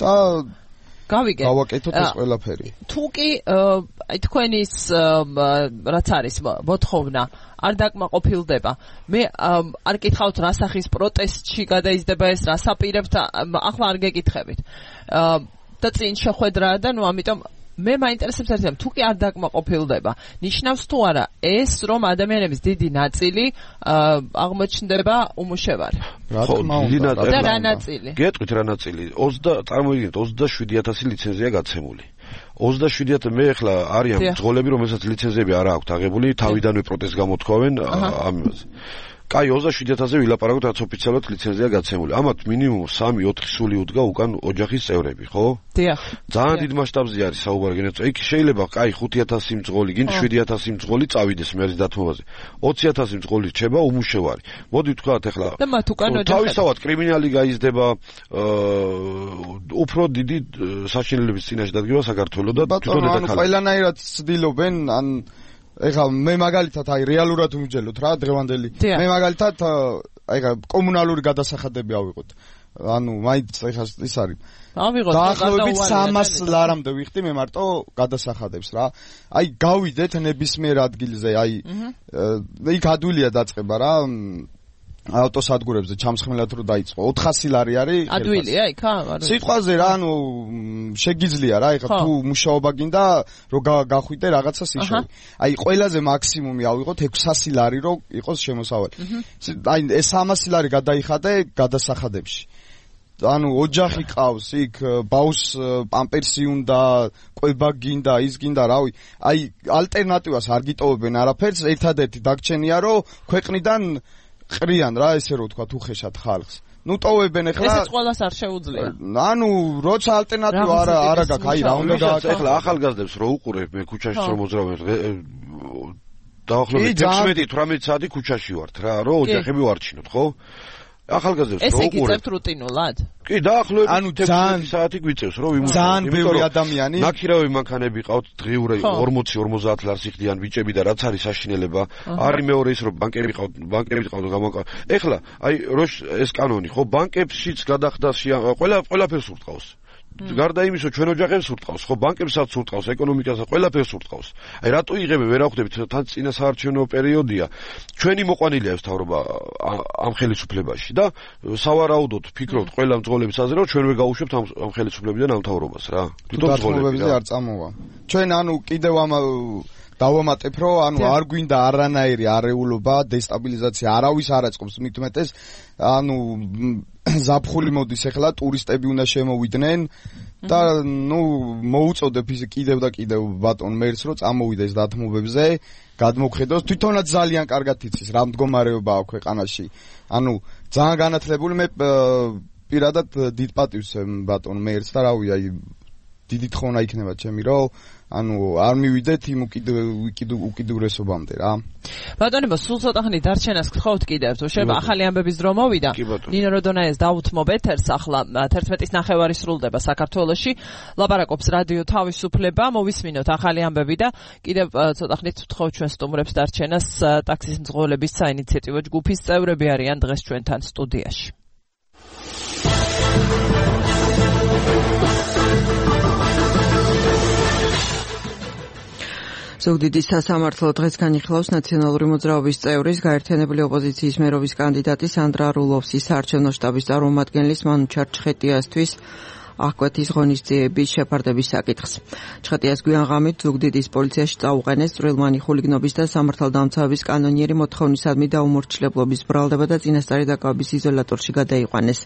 და გავიგე. გავაკეთოთ ეს ყველაფერი. თუ კი აი თქვენის რაც არის მოთხოვნა არ დაკმაყოფილდება. მე არ გითხავთ რა სახის პროტესტში გადაიზრდება ეს, რას აპირებთ, ახლა არ გეკითხებით. და წინ შეხვედრაა და ნუ ამიტომ მე მაინტერესებს ერთად, თუ კი არ დაკმაყოფილდება, ნიშნავს თუ არა ეს, რომ ადამიანების დიდი ნაწილი აღმოჩნდება უმუშევარი. რა თქმა უნდა. და რა ნაწილი? გეტყვით რა ნაწილი? ოცდა წარმოიდგინეთ ოცდაშვიდი ათასი ლიცენზია გაცემული. ოცდაშვიდი ათასი მე ახლა არიან მძღოლები, რომელსაც ლიცენზიები არ აქვს აღებული, თავიდანვე პროტესტს გამოთქვავენ ამაზე. კაი, ოცდაშვიდი ათასზე ვილაპარაკოთ, რაც ოფიციალურად ლიცენზია გაცემული. ამათ მინიმუმ სამი ოთხი სული უდგა უკან ოჯახის წევრები, ხო? დიახ. ძალიან დიდ მასშტაბზე არის საუბარი გენერაცია. იქ შეიძლება კაი ხუთი ათასი მძღოლი, გინდ შვიდი ათასი მძღოლი წავიდეს მერის დათმობაზე. ოცი ათასი მძღოლი რჩება უმუშევარი. მოდი ვთქვათ ახლა და მათ უკან ოჯახები. თავისთავად კრიმინალი გაიზრდება უფრო დიდი საშინელების წინაშე დადგება საქართველოს და თვითონ დედაქალაქი. ანუ ყველანაირად ცდილობენ ან ეხლა მე მაგალითად აი რეალურად ვიმჯელოთ რა დღევანდელი მე მაგალითად აი ხა კომუნალური გადასახადები ავიღოთ ანუ მაინც ეხლა ის არის ავიღოთ დაახლოებით სამას ლარამდე ვიხდი მე მარტო გადასახადებს რა აი გავიდეთ ნებისმიერ ადგილზე აი იქ ადვილია დაწყება რა ავტოსადგურებზე ჩამსხმელად რო დაიწყო ოთხასი ლარი არის ადვილია იქ არა სიტყვაზე რა ანუ შეგიძლია რა ეხლა თუ მუშაობა გინდა რომ გახვიდე რაღაცას იშოვე აი ყველაზე მაქსიმუმი ავიღოთ ექვსასი ლარი რო იყოს შემოსავალი აი ეს სამასი ლარი გადაიხადე გადასახადებში ანუ ოჯახი ყავს იქ ბაუს პამპერსი უნდა ყვება გინდა ის გინდა რავი აი ალტერნატივას არ გიტოვებენ არაფერს ერთადერთი დაგჩენია რომ ქვეყნიდან ყრიან რა ესე რო თქვა თუ ხეშად ხალხს ნუ ტოვებენ ახლა ესეც ყველას არ შეუძლია ანუ როცა ალტერნატივა არა არა გაქვს აი რა უნდა გააკეთო ახლა ახალგაზრდებს რო უყურებ მე ქუჩაში რო მოძრავენ დაახლოებით ექვსმეტი თვრამეტი საათი ქუჩაში ვართ რა რო ოჯახები ვარჩინოთ ხო ახალგაზრდებს რო უყურებ ესე გიწევთ რუტინულად კი დაახლოებით ანუ ექვსმეტი საათი გვიწევს რო ვიმუშავოთ ძალიან ბევრი ადამიანი ნაქირავი მანქანები ყავთ დღიური ორმოცი ორმოცდაათ ლარს იხდიან ბიჭები და რაც არის საშინელება არის მეორე ის რომ ბანკები ყავთ ბანკები ყავთ გამოკა ეხლა აი რო ეს კანონი ხო ბანკებშიც გადახდა ყველა ყველაფერს ურტყავს გარდა იმისა ჩვენ ოჯახებს ურტყავს ხო ბანკებსაც ურტყავს ეკონომიკასაც ყველაფერს ურტყავს აი რატო იღებენ ვერ ახვდებით თან წინა საარჩევნო პერიოდია ჩვენი მოყვანილია ეს თავრობა ამ ხელისუფლებაში და სავარაუდოდ ფიქრობთ ყველა მძღოლების აზრით რომ ჩვენ ვერ გაუშვებთ ამ ხელისუფლებიდან ამ თავრობას რა თვითონ მძღოლები არ წამოვა ჩვენ ანუ კიდევ ამ დავამატებ რომ ანუ არ გვინდა არანაირი არეულობა დესტაბილიზაცია არავის არ აწყობს მით უმეტეს ანუ ზაფხული მოდის ახლა ტურისტები უნდა შემოვიდნენ და ნუ მოუწოდებ ის კიდევ და კიდევ ბატონ მერს რომ წამოვიდეს დათმობებზე გადმოგხედოს თვითონაც ძალიან კარგად იცის რა მდგომარეობაა ქვეყანაში ანუ ძალიან განათლებული მე პირადად დიდ პატივს ბატონ მერს და რავი აი დიდი თხოვნა იქნება ჩემი რომ ანუ არ მივიდეთ იმ უკიდურესობამდე რა. ბატონებო, სულ ცოტა ხნით დარჩენას გთხოვთ კიდევ, თუ შეიძლება ახალი ამბების დრო მოვიდა. ნინო როდონაიას დავუთმობ ეთერს ახლა თერთმეტის ნახევარი სრულდება საქართველოში. ლაპარაკობს რადიო თავისუფლება, მოვისმინოთ ახალი ამბები და კიდევ ცოტა ხნით ვთხოვთ ჩვენ სტუმრებს დარჩენას. ტაქსის მძღოლების საინიციატივო ჯგუფის წევრები არიან დღეს ჩვენთან სტუდიაში. ზუგდიდის სასამართლო დღეს განიხილავს ნაციონალური მოძრაობის წევრის გაერთიანებული ოპოზიციის მერობის კანდიდატი სანდრა რულოვსის საარჩევნო შტაბის წარმომადგენლის მანუ ჩარჩხეტიასთვის აღკვეთის ღონისძიების შეფარდების საკითხს. ჩხეტიას გვიან ღამით ზუგდიდის პოლიციაში წაუყენეს წვრილმანი ხულიგნობის და სამართალდამცავების კანონიერი მოთხოვნისადმი დაუმორჩილებლობის ბრალდება და წინასწარი დაკავების იზოლატორში გადაიყვანეს.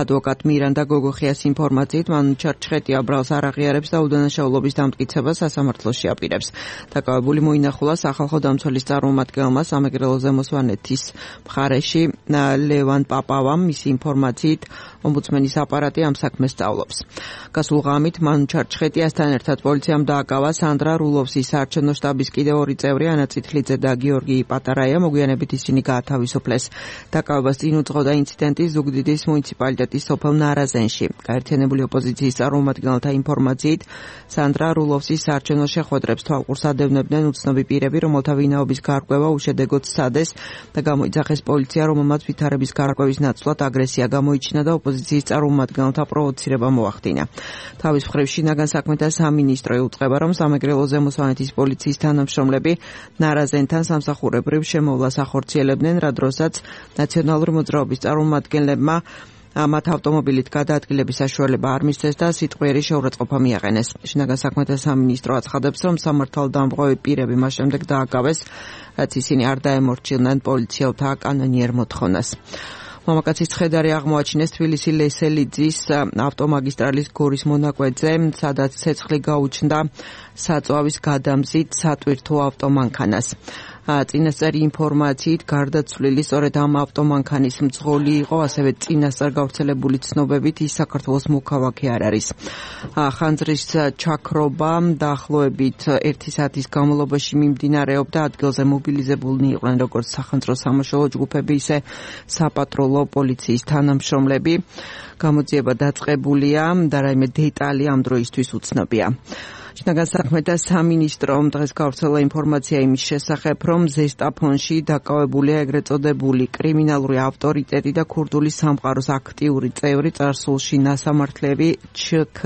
ადვოკატ მირანდა გოგოხიას ინფორმაციით მანუ ჩარჩხეტია ბრალს არ აღიარებს და უდანაშაულობის დამტკიცებას სასამართლოში აპირებს. დაკავებული მოინახულა სახალხო დამცველის წარმომადგენელმა სამეგრელო ზემოსვანეთის მხარეში ლევან პაპავამ. მისი ინფორმაციით ომბუდსმენის აპარატი ამ საქმეს სწავლობს. გასულ ღამით მანუ ჩარჩხეტიასთან ერთად პოლიციამ დააკავა სანდრა რულოვსის საარჩევნო შტაბის კიდევ ორი წევრი ანა წითლიძე და გიორგი პატარაია. მოგვიანებით ისინი გაათავისუფლეს. დაკავებას წინ უძღოდა ინციდენტი ზუგდიდის მუნიციპალიტეტის სოფელ ნარაზენში. გაერთიანებული ოპოზიციის წარმომადგენელთა ინფორმაციით სანდრა რულოვსის საარჩევნო შეხვედრებს თვალყურს ადევნებდნენ უცნობი პირები, რომელთა ვინაობის გარკვევა უშედეგოდ სცადეს და გამოიძახეს პოლიცია, რომელმაც ვითარების გარკვევის ნაცვლად აგრესია გამოიჩინა და ოპოზიციის წარმომადგენელთა პროვოცირება მოახდინა. თავის მხრივ შინაგან საქმეთა სამინისტრო იუწყება, რომ სამეგრელო ზემოსვანეთის პოლიციის თანამშრომლები ნარაზენთან სამსახურებრივ შემოვლას ახორციელებდნენ, რა დროსაც ნაციონალური მოძრაობის წარმომადგენლებმა მათ ავტომობილით გადაადგილების საშუალება არ მისცეს და სიტყვიერი შეურაცხყოფა მიაყენეს. შინაგან საქმეთა სამინისტრო აცხადებს, რომ სამართალდამღები პირები მას შემდეგ დააკავეს, რაც ისინი არ დაემორჩილნენ პოლიციელთა კანონიერ მოთხოვნას. მამაკაცის ცხედარი აღმოაჩინეს თბილისი ლესელიძის ავტომაგისტრალის გორის მონაკვეთზე, სადაც ცეცხლი გაუჩნდა საწვავის გადამზით სატვირთო ავტომანქანას. წინასწარი ინფორმაციით გარდაცვლილი სწორედ ამ ავტომანქანის მძღოლი იყო, ასევე წინასწარ გავრცელებული ცნობებით ის საქართველოს მოქალაქე არ არის. ხანძრის ჩაქრობა დაახლოებით ერთი საათის განმავლობაში მიმდინარეობდა. ადგილზე მობილიზებულნი იყვნენ როგორც სახანძრო სამაშველო ჯგუფები, ისე საპატრულო პოლიციის თანამშრომლები. გამოძიება დაწყებულია და რაიმე დეტალი ამ დროისთვის უცნობია. შინაგან საქმეთა სამინისტრომ დღეს გავრცელა ინფორმაცია იმის შესახებ, რომ ზესტაფონში დაკავებულია ეგრეთ წოდებული კრიმინალური ავტორიტეტი და ქურდული სამყაროს აქტიური წევრი წარსულში ნასამართლები ჩქ.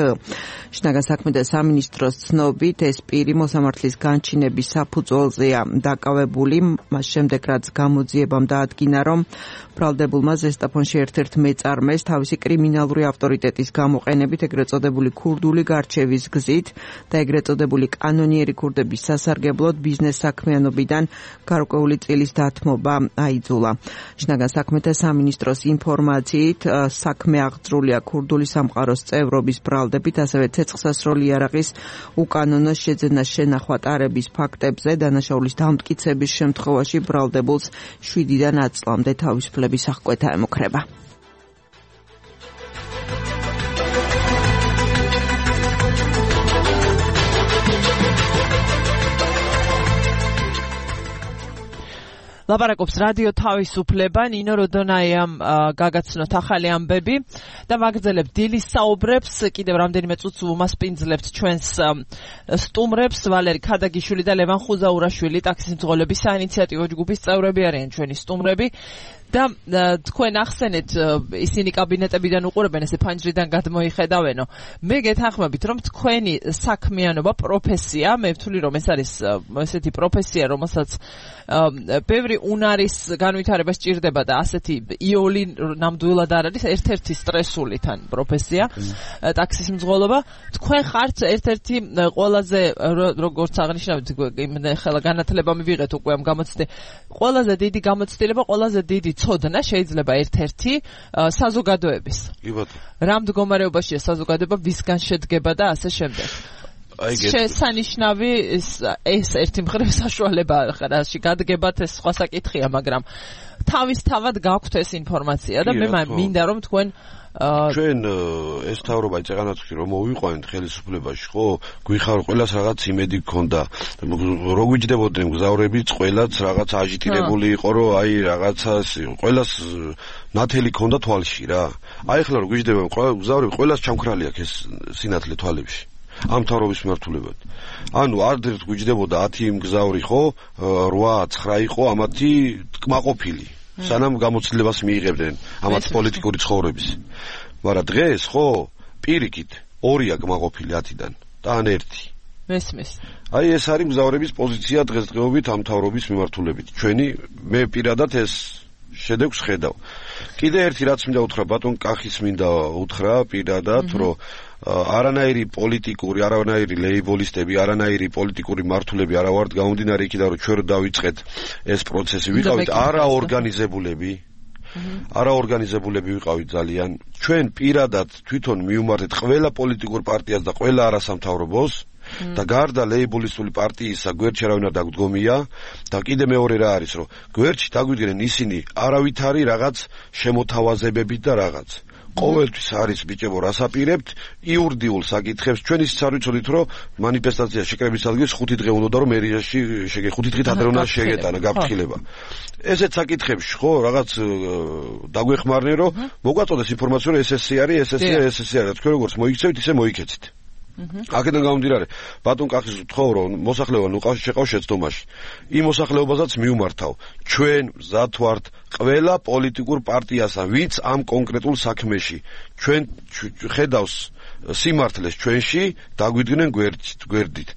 შინაგან საქმეთა სამინისტროს ცნობით ეს პირი მოსამართლის განჩინების საფუძველზეა დაკავებული. მას შემდეგ რაც გამოძიებამ დაადგინა, რომ ბრალდებულმა ზესტაფონში ერთ-ერთ მეწარმეს თავისი კრიმინალური ავტორიტეტის გამოყენებით ეგრეთ წოდებული ქურდული გარჩევის გზით და ეგრეთ წოდებული კანონიერი ქურდების სასარგებლოდ ბიზნეს საქმიანობიდან გარკვეული წილის დათმობა აიძულა. შინაგან საქმეთა სამინისტროს ინფორმაციით საქმე აღძრულია ქურდული სამყაროს წევრობის ბრალდებით, ასევე ცეცხლსასროლი იარაღის უკანონო შეძენას შენახვა ტარების ფაქტებზე. დანაშაულის დამტკიცების შემთხვევაში ბრალდებულს შვიდიდან ათ წლამდე თავისუფლების აღკვეთა ემუქრება. ლაპარაკობს რადიო თავისუფლება, ნინო როდონაიამ გაგაცნოთ ახალი ამბები და ვაგრძელებთ დილის საუბრებს. კიდევ რამდენიმე წუთს ვუმასპინძლებთ ჩვენს სტუმრებს. ვალერი ქადაგიშვილი და ლევან ხუზაურაშვილი ტაქსის მძღოლების საინიციატივო ჯგუფის წევრები არიან ჩვენი სტუმრები. და თქვენ ახსენეთ, ისინი კაბინეტებიდან უყურებენ, ესე ფანჯრიდან გადმოიხედავენო. მე გეთანხმებით, რომ თქვენი საქმიანობა, პროფესია, მე ვთვლი, რომ ეს არის ესეთი პროფესია, რომელსაც ბევრი უნარის განვითარება სჭირდება და ასეთი იოლი ნამდვილად არ არის ერთ-ერთი სტრესული თან პროფესია, ტაქსის მძღოლობა. თქვენ ხართ ერთ-ერთი ყველაზე, როგორც აღნიშნავთ, ხელა განათლება მივიღეთ უკვე ამ გამოცდილებას. ყველაზე დიდი გამოცდილება, ყველაზე დიდი ცოდნა შეიძლება ერთ-ერთი საზოგადოების. კი ბატონო. რა მდგომარეობაშია საზოგადოება, ვისგან შედგება და ასე შემდეგ. შესანიშნავი ეს ერთი მხრივ საშუალებაა, რაში გადგებათ ეს სხვა საკითხია, მაგრამ თავისთავად გაქვთ ეს ინფორმაცია და მე მინდა რომ თქვენ ჩვენ ეს თავრობა იწეღანათქვი რომ მოვიყვანეთ ხელისუფლებაში ხო გვიხარ ყველას რაღაც იმედი გქონდა რო გვიჯდებოდნენ მგზავრები ყველაც რაღაც აჟიტირებული იყო რომ აი რაღაცას ყველას ნათელი ქონდა თვალში რა აი ახლა რო გვიჯდება მგზავრები ყველას ჩამქრალი აქვს ეს სინათლე თვალებში ამ თავრობის მიმართულებად ანუ არდერთ გვიჯდებოდა ათი მგზავრი ხო რვა ცხრა იყო ამათი კმაყოფილი სანამ გამოცდილებას მიიღებდნენ ამათ პოლიტიკური ცხოვრების. მაგრამ დღეს ხო პირიქით ორია კმაყოფილი ათიდან და ან ერთი. მესმის. აი ეს არის მგზავრების პოზიცია დღესდღეობით ამ თავრობის მიმართულებით. ჩვენი მე პირადად ეს შედეგს ხედავ. კიდე ერთი რაც მინდა უთხრა ბატონ კახის მინდა უთხრა პირადად რომ არანაირი პოლიტიკური, არანაირი ლეიბოლისტები, არანაირი პოლიტიკური მართულები არა ვართ გამომდინარე იქიდან რომ ჩვენ დავიწყეთ ეს პროცესი ვიყავით არაორგანიზებულები. არაორგანიზებულები ვიყავით ძალიან. ჩვენ პირადად თვითონ მივმართეთ ყველა პოლიტიკურ პარტიას და ყველა არასამთავრობოს და გარდა ლეიბოლისტული პარტიისა გვერდში არავინ არ დაგვდგომია და კიდე მეორე რა არის რომ გვერდში დაგვიდგნენ ისინი არავითარი რაღაც შემოთავაზებებით და რაღაც ყოველთვის არის ბიჭებო რასაპირებთ იურიდიულ საკითხებს ჩვენ ისიც არ ვიცოდით რომ მანიფესტაცია შეკრების ადგილს ხუთი დღე უნდა რომ მერიაში შეგე ხუთი დღით ადრე უნდა შეგეტანა გაფრთხილება ესეთ საკითხებში ხო რაღაც დაგვეხმარნენ რომ მოგვაწოდეს ინფორმაცია რომ ეს ესე არის ეს ესე ეს ესე არის თქვენ როგორც მოიქცევით ისე მოიქეცით აქედან გამომდინარე ბატონ კახის ვთხოვ რომ მოსახლეობა ნუ ყავს შეყავს შეცდომაში იმ მოსახლეობასაც მიუმართავ ჩვენ მზად ვართ ყველა პოლიტიკურ პარტიასთან ვინც ამ კონკრეტულ საქმეში ჩვენ ხედავს სიმართლეს ჩვენში დაგვიდგნენ გვერდით გვერდით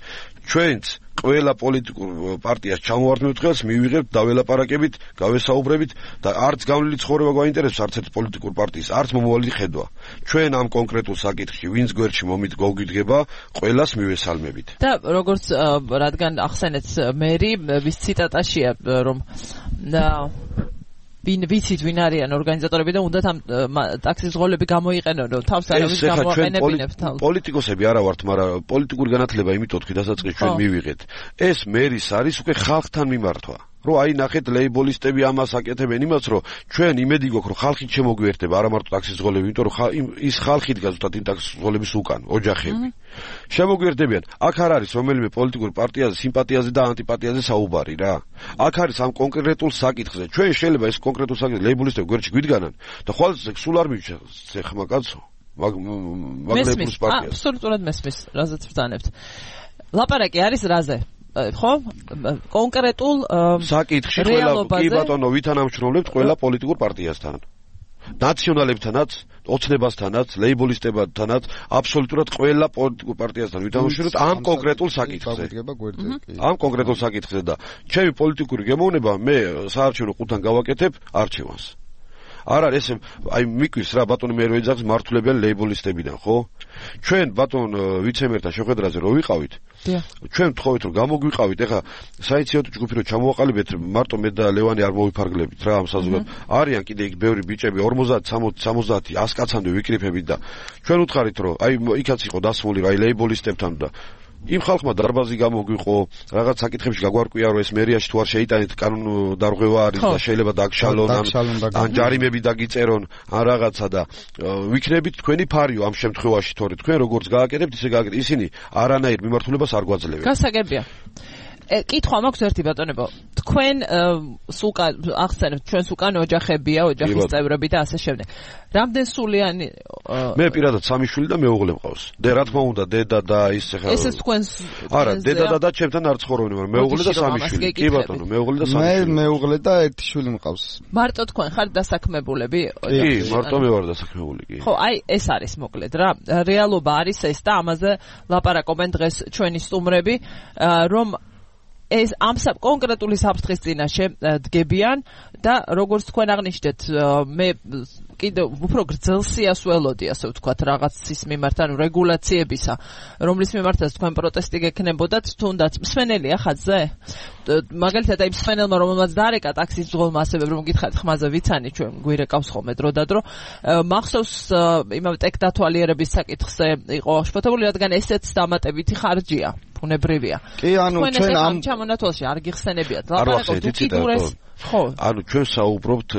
ჩვენც ყველა პოლიტიკურ პარტიას ჩამოვარდნით ხელს მივიღებთ დაველაპარაკებით გავესაუბრებით და არც გავლილი ცხოვრება გვაინტერესებს არც ერთ პოლიტიკურ პარტიის არც მომავალი ხედვა ჩვენ ამ კონკრეტულ საკითხში ვინც გვერდში მომით გოგიდგება ყველას მივესალმებით და როგორც რადგან ახსენეთ მერი ვის ციტატაშია რომ ვინ ვიცით ვინ არიან ორგანიზატორები და უნდათ ამ ტაქსის ზღოლები გამოიყენონ რომ თავს არავის გამოაყენებინებს თავს პოლიტიკოსები არა ვართ მაგრამ პოლიტიკური განათლება იმიტომ თქვი დასაწყისში ჩვენ მივიღეთ ეს მერის არის უკვე ხალხთან მიმართვა რომ აი ნახეთ ლეიბოლისტები ამას აკეთებენ იმას რომ ჩვენ იმედი გვაქვს რომ ხალხი შემოგვიერთდება არა მარტო ტაქსის ზღოლები იმიტომ რომ ის ხალხი დგას ზუსტად იმ ტაქსის ზღოლების უკან ოჯახები შემოგვიერთდებიან აქ არ არის რომელიმე პოლიტიკური პარტიაზე სიმპათიაზე და ანტიპათიაზე საუბარი რა აქ არის ამ კონკრეტულ საკითხზე ჩვენ შეიძლება ეს კონკრეტულ საკითხზე ლეიბოლისტები გვერდში გვიდგანან და ხვალ სულ არ მივიჩა ხმა კაცო მაგ მაგლებს პარტიას აბსოლუტურად მესმის რაზეც ვთანებთ ლაპარაკი არის რაზე ხო კონკრეტულ საკითხში ყველა კი ბატონო ვითანამშრომლებთ ყველა პოლიტიკურ პარტიასთან ნაციონალებთანაც ოცნებასთანაც ლეიბოლისტებთანაც აბსოლუტურად ყველა პოლიტიკურ პარტიასთან ვითანამშრომლებთ ამ კონკრეტულ საკითხზე ამ კონკრეტულ საკითხზე და ჩემი პოლიტიკური გემოვნება მე საარჩევნო ყუთთან გავაკეთებ არჩევანს არ არის ეს აი მიკვირს რა ბატონი მე რო ეძახს მართულებიან ლეიბოლისტებიდან ხო ჩვენ ბატონ ვიცემერთან შეხვედრაზე რო ვიყავით ჩვენ ვთხოვით რომ გამოგვიყავით ეხა საინიციატივო ჯგუფი რო ჩამოვაყალიბეთ მარტო მე და ლევანი არ მოვიფარგლებით რა ამ საზოგადოებაში არიან კიდე იქ ბევრი ბიჭები ორმოცდაათი სამოცდაათი ასი კაცამდე ვიკრიფებით და ჩვენ უთხარით რომ აი იქაც იყო დასმული რა აი ლეიბოლისტებთან და იმ ხალხმა დარბაზი გამოგვიყო რაღაც საკითხებში გაგვარკვია რომ ეს მერიაში თუ არ შეიტანეთ კანონ დარღვევა არის და შეიძლება დაგშალონ ან ჯარიმები დაგიწერონ ან რაღაცა და ვიქნებით თქვენი ფარიო ამ შემთხვევაში თორე თქვენ როგორც გააკეთებთ ისე გააკეთეთ ისინი არანაირ მიმართულებას არ გვაძლევენ გასაგებია კითხვა მაქვს ერთი ბატონებო თქვენ სულკან ახსენებთ ჩვენს უკან ოჯახებია ოჯახის წევრები და ასე შემდეგ რამდენ სულიანი მე პირადად სამი შვილი და მეუღლე მყავს და რა თქმა უნდა დედა და ის ხა ესეც თქვენს არა დედა და და ჩემთან არ ცხოვრობენ მაგრამ მეუღლე და სამი შვილი კი ბატონო მეუღლე და სამი შვილი მე მეუღლე და ერთი შვილი მყავს მარტო თქვენ ხართ დასაქმებულები კი მარტო მე ვარ დასაქმებული კი ხო აი ეს არის მოკლედ რა რეალობა არის ეს და ამაზე ლაპარაკობენ დღეს ჩვენი სტუმრები რომ ეს ამ კონკრეტული საფრთხის წინაშე დგებიან და როგორც თქვენ აღნიშნეთ მე კიდევ უფრო გრძელსიას ველოდი ასე ვთქვათ რაღაცის მიმართ ანუ რეგულაციებისა რომლის მიმართაც თქვენ პროტესტი გექნებოდათ თუნდაც მსვენელია ხაზზე მაგალითად აი მსვენელმა რომელმაც დარეკა ტაქსის ზღოლმა ასევე რომ გითხარით ხმაზე ვიცანი ჩვენ გვირეკავს ხოლმე დრო და დრო მახსოვს იმავე ტექდათვალიერების საკითხზე იყო შფოთებული რადგან ესეც დამატებითი ხარჯია ბუნებრივია კი ანუ ჩვენ ამ ჩამონათვალში არ გიხსენებიათ ლაპარაკობთ უკიდურეს ანუ ჩვენ საუბრობთ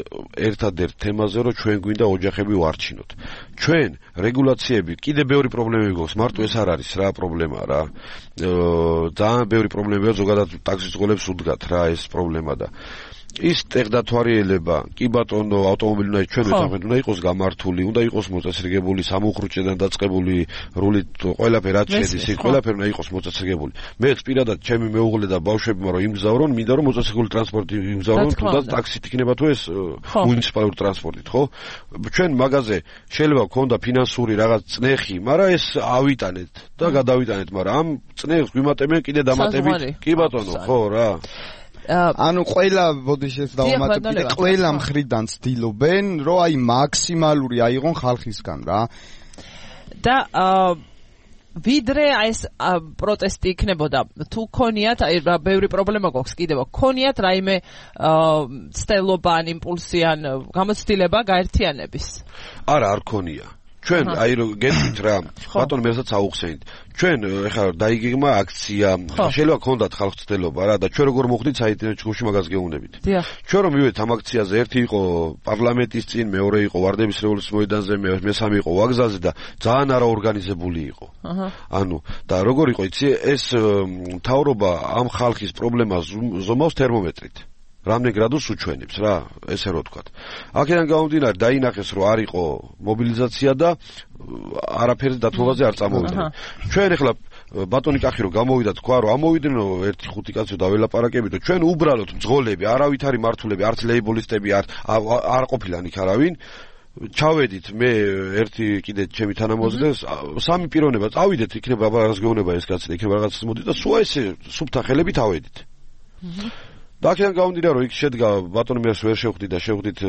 ერთადერთ თემაზე, რომ ჩვენ გვინდა ოჯახები ვარჩინოთ. ჩვენ რეგულაციები კიდე ბევრი პრობლემები გვაქვს, მარტო ეს არ არის რა პრობლემა რა. ძალიან ბევრი პრობლემებია, ზოგადად ტაქსის ძღოლებს უდგათ რა ეს პრობლემა და ის ტექდათვალიერება, კი ბატონო, ავტომობილი უნდა ჩვენ ვეთანხმებით, უნდა იყოს გამართული, უნდა იყოს მოწესრიგებული, სამუხრუჭედან დაწყებული, რულით ყველაფერი რაც შედის, ის ყველაფერი უნდა იყოს მოწესრიგებული. მე პირადად ჩემი მეუღლე და ბავშვებმა რომ იმგზავრონ, მინდა რომ მოწესრიგებული ტრანსპორტი იმგზავრონ, თუნდაც ტაქსით იქნება თუ ეს მუნიციპალური ტრანსპორტით, ხო? ჩვენ მაგაზე შეიძლება გქონდა ფინანსური რაღაც წნეხი, მაგრამ ეს ავიტანეთ და გადავიტანეთ, მაგრამ ამ წნეხს გვიმატებენ კიდე დამატებით. კი ბატონო, ხო რა. ანუ ყველა ბოდიშეს დავამატებ კიდე ყველა მხრიდან ცდილობენ რომ აი მაქსიმალური აიღონ ხალხისგან რა და ვიდრე ეს პროტესტი იქნებოდა თუ ქონიათ აი ბევრი პრობლემა გვაქვს კიდევ ქონიათ რაიმე ცდელობა ან იმპულსი ან გამოცდილება გაერთიანების არა არ ქონია ჩვენ აი რომ გეტყვით რა ბატონო მესაც აუხსენით ჩვენ ეხლა დაიგეგმა აქცია შეიძლება გქონდათ ხალხს ცდელობა რა და ჩვენ როგორ მოხდით საინტერნეტ ჯგუფში მაგას გეუბნებით ჩვენ რომ მივედით ამ აქციაზე ერთი იყო პარლამენტის წინ მეორე იყო ვარდების რევოლუციის მოედანზე მესამე იყო ვაგზალზე და ძალიან არაორგანიზებული იყო ანუ და როგორ იყო იცი ეს მთავრობა ამ ხალხის პრობლემას ზომავს თერმომეტრით რამდენ გრადუსს უჩვენებს რა ესე რო ვთქვათ. აქედან გამომდინარე დაინახეს რომ არ იყო მობილიზაცია და არაფერი დათმობაზე არ წამოვიდნენ. ჩვენ ეხლა ბატონი კახი რო გამოვიდა თქვა რომ ამოვიდნენ ერთი ხუთი კაცი დაველაპარაკებით და ჩვენ უბრალოდ მძღოლები არავითარი მართულები არც ლეიბოლისტები არ არ ყოფილან იქ არავინ ჩავედით მე ერთი კიდე ჩემი თანამოაზრე სამი პიროვნება წავიდეთ იქნება რაღაც გეუბნება ეს კაცი და იქნება რაღაც მოდი და სულ ესე სუფთა ხელებით ავედით. და აქედან გამომდინარე რომ იქ შედგა ბატონი მეც ვერ შევხვდით და შევხვდით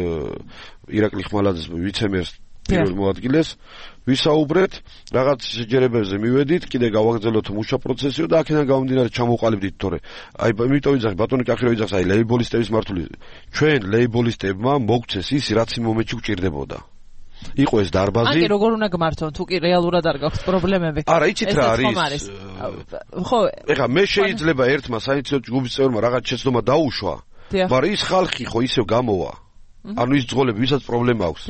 ირაკლი ხმალაძის ვიცემერს პირველ მოადგილეს ვისაუბრეთ რაღაც შეჯერებებზე მივედით კიდე გავაგრძელოთ მუშა პროცესიო და აქედან გამომდინარე ჩამოვყალიბდით თორე აი იმიტომ ვიძახი ბატონი კახი რო ვიძახს აი ლეიბოლისტების მართული ჩვენ ლეიბოლისტებმა მოგცეს ის რაც იმ მომენტში გვჭირდებოდა იყო ეს დარბაზი. აი როგორ უნდა გმართონ თუ კი რეალურად არ გაქვს პრობლემები. არა, იცით რა არის? ხო, ეხლა მე შეიძლება ერთმა საინტერესო ჯგუფის წევრმა რაღაც შეცდომა დაუშვა, მაგრამ ის ხალხი ხო ისევ გამოვა. ანუ ის ძღოლები, ვისაც პრობლემა აქვს.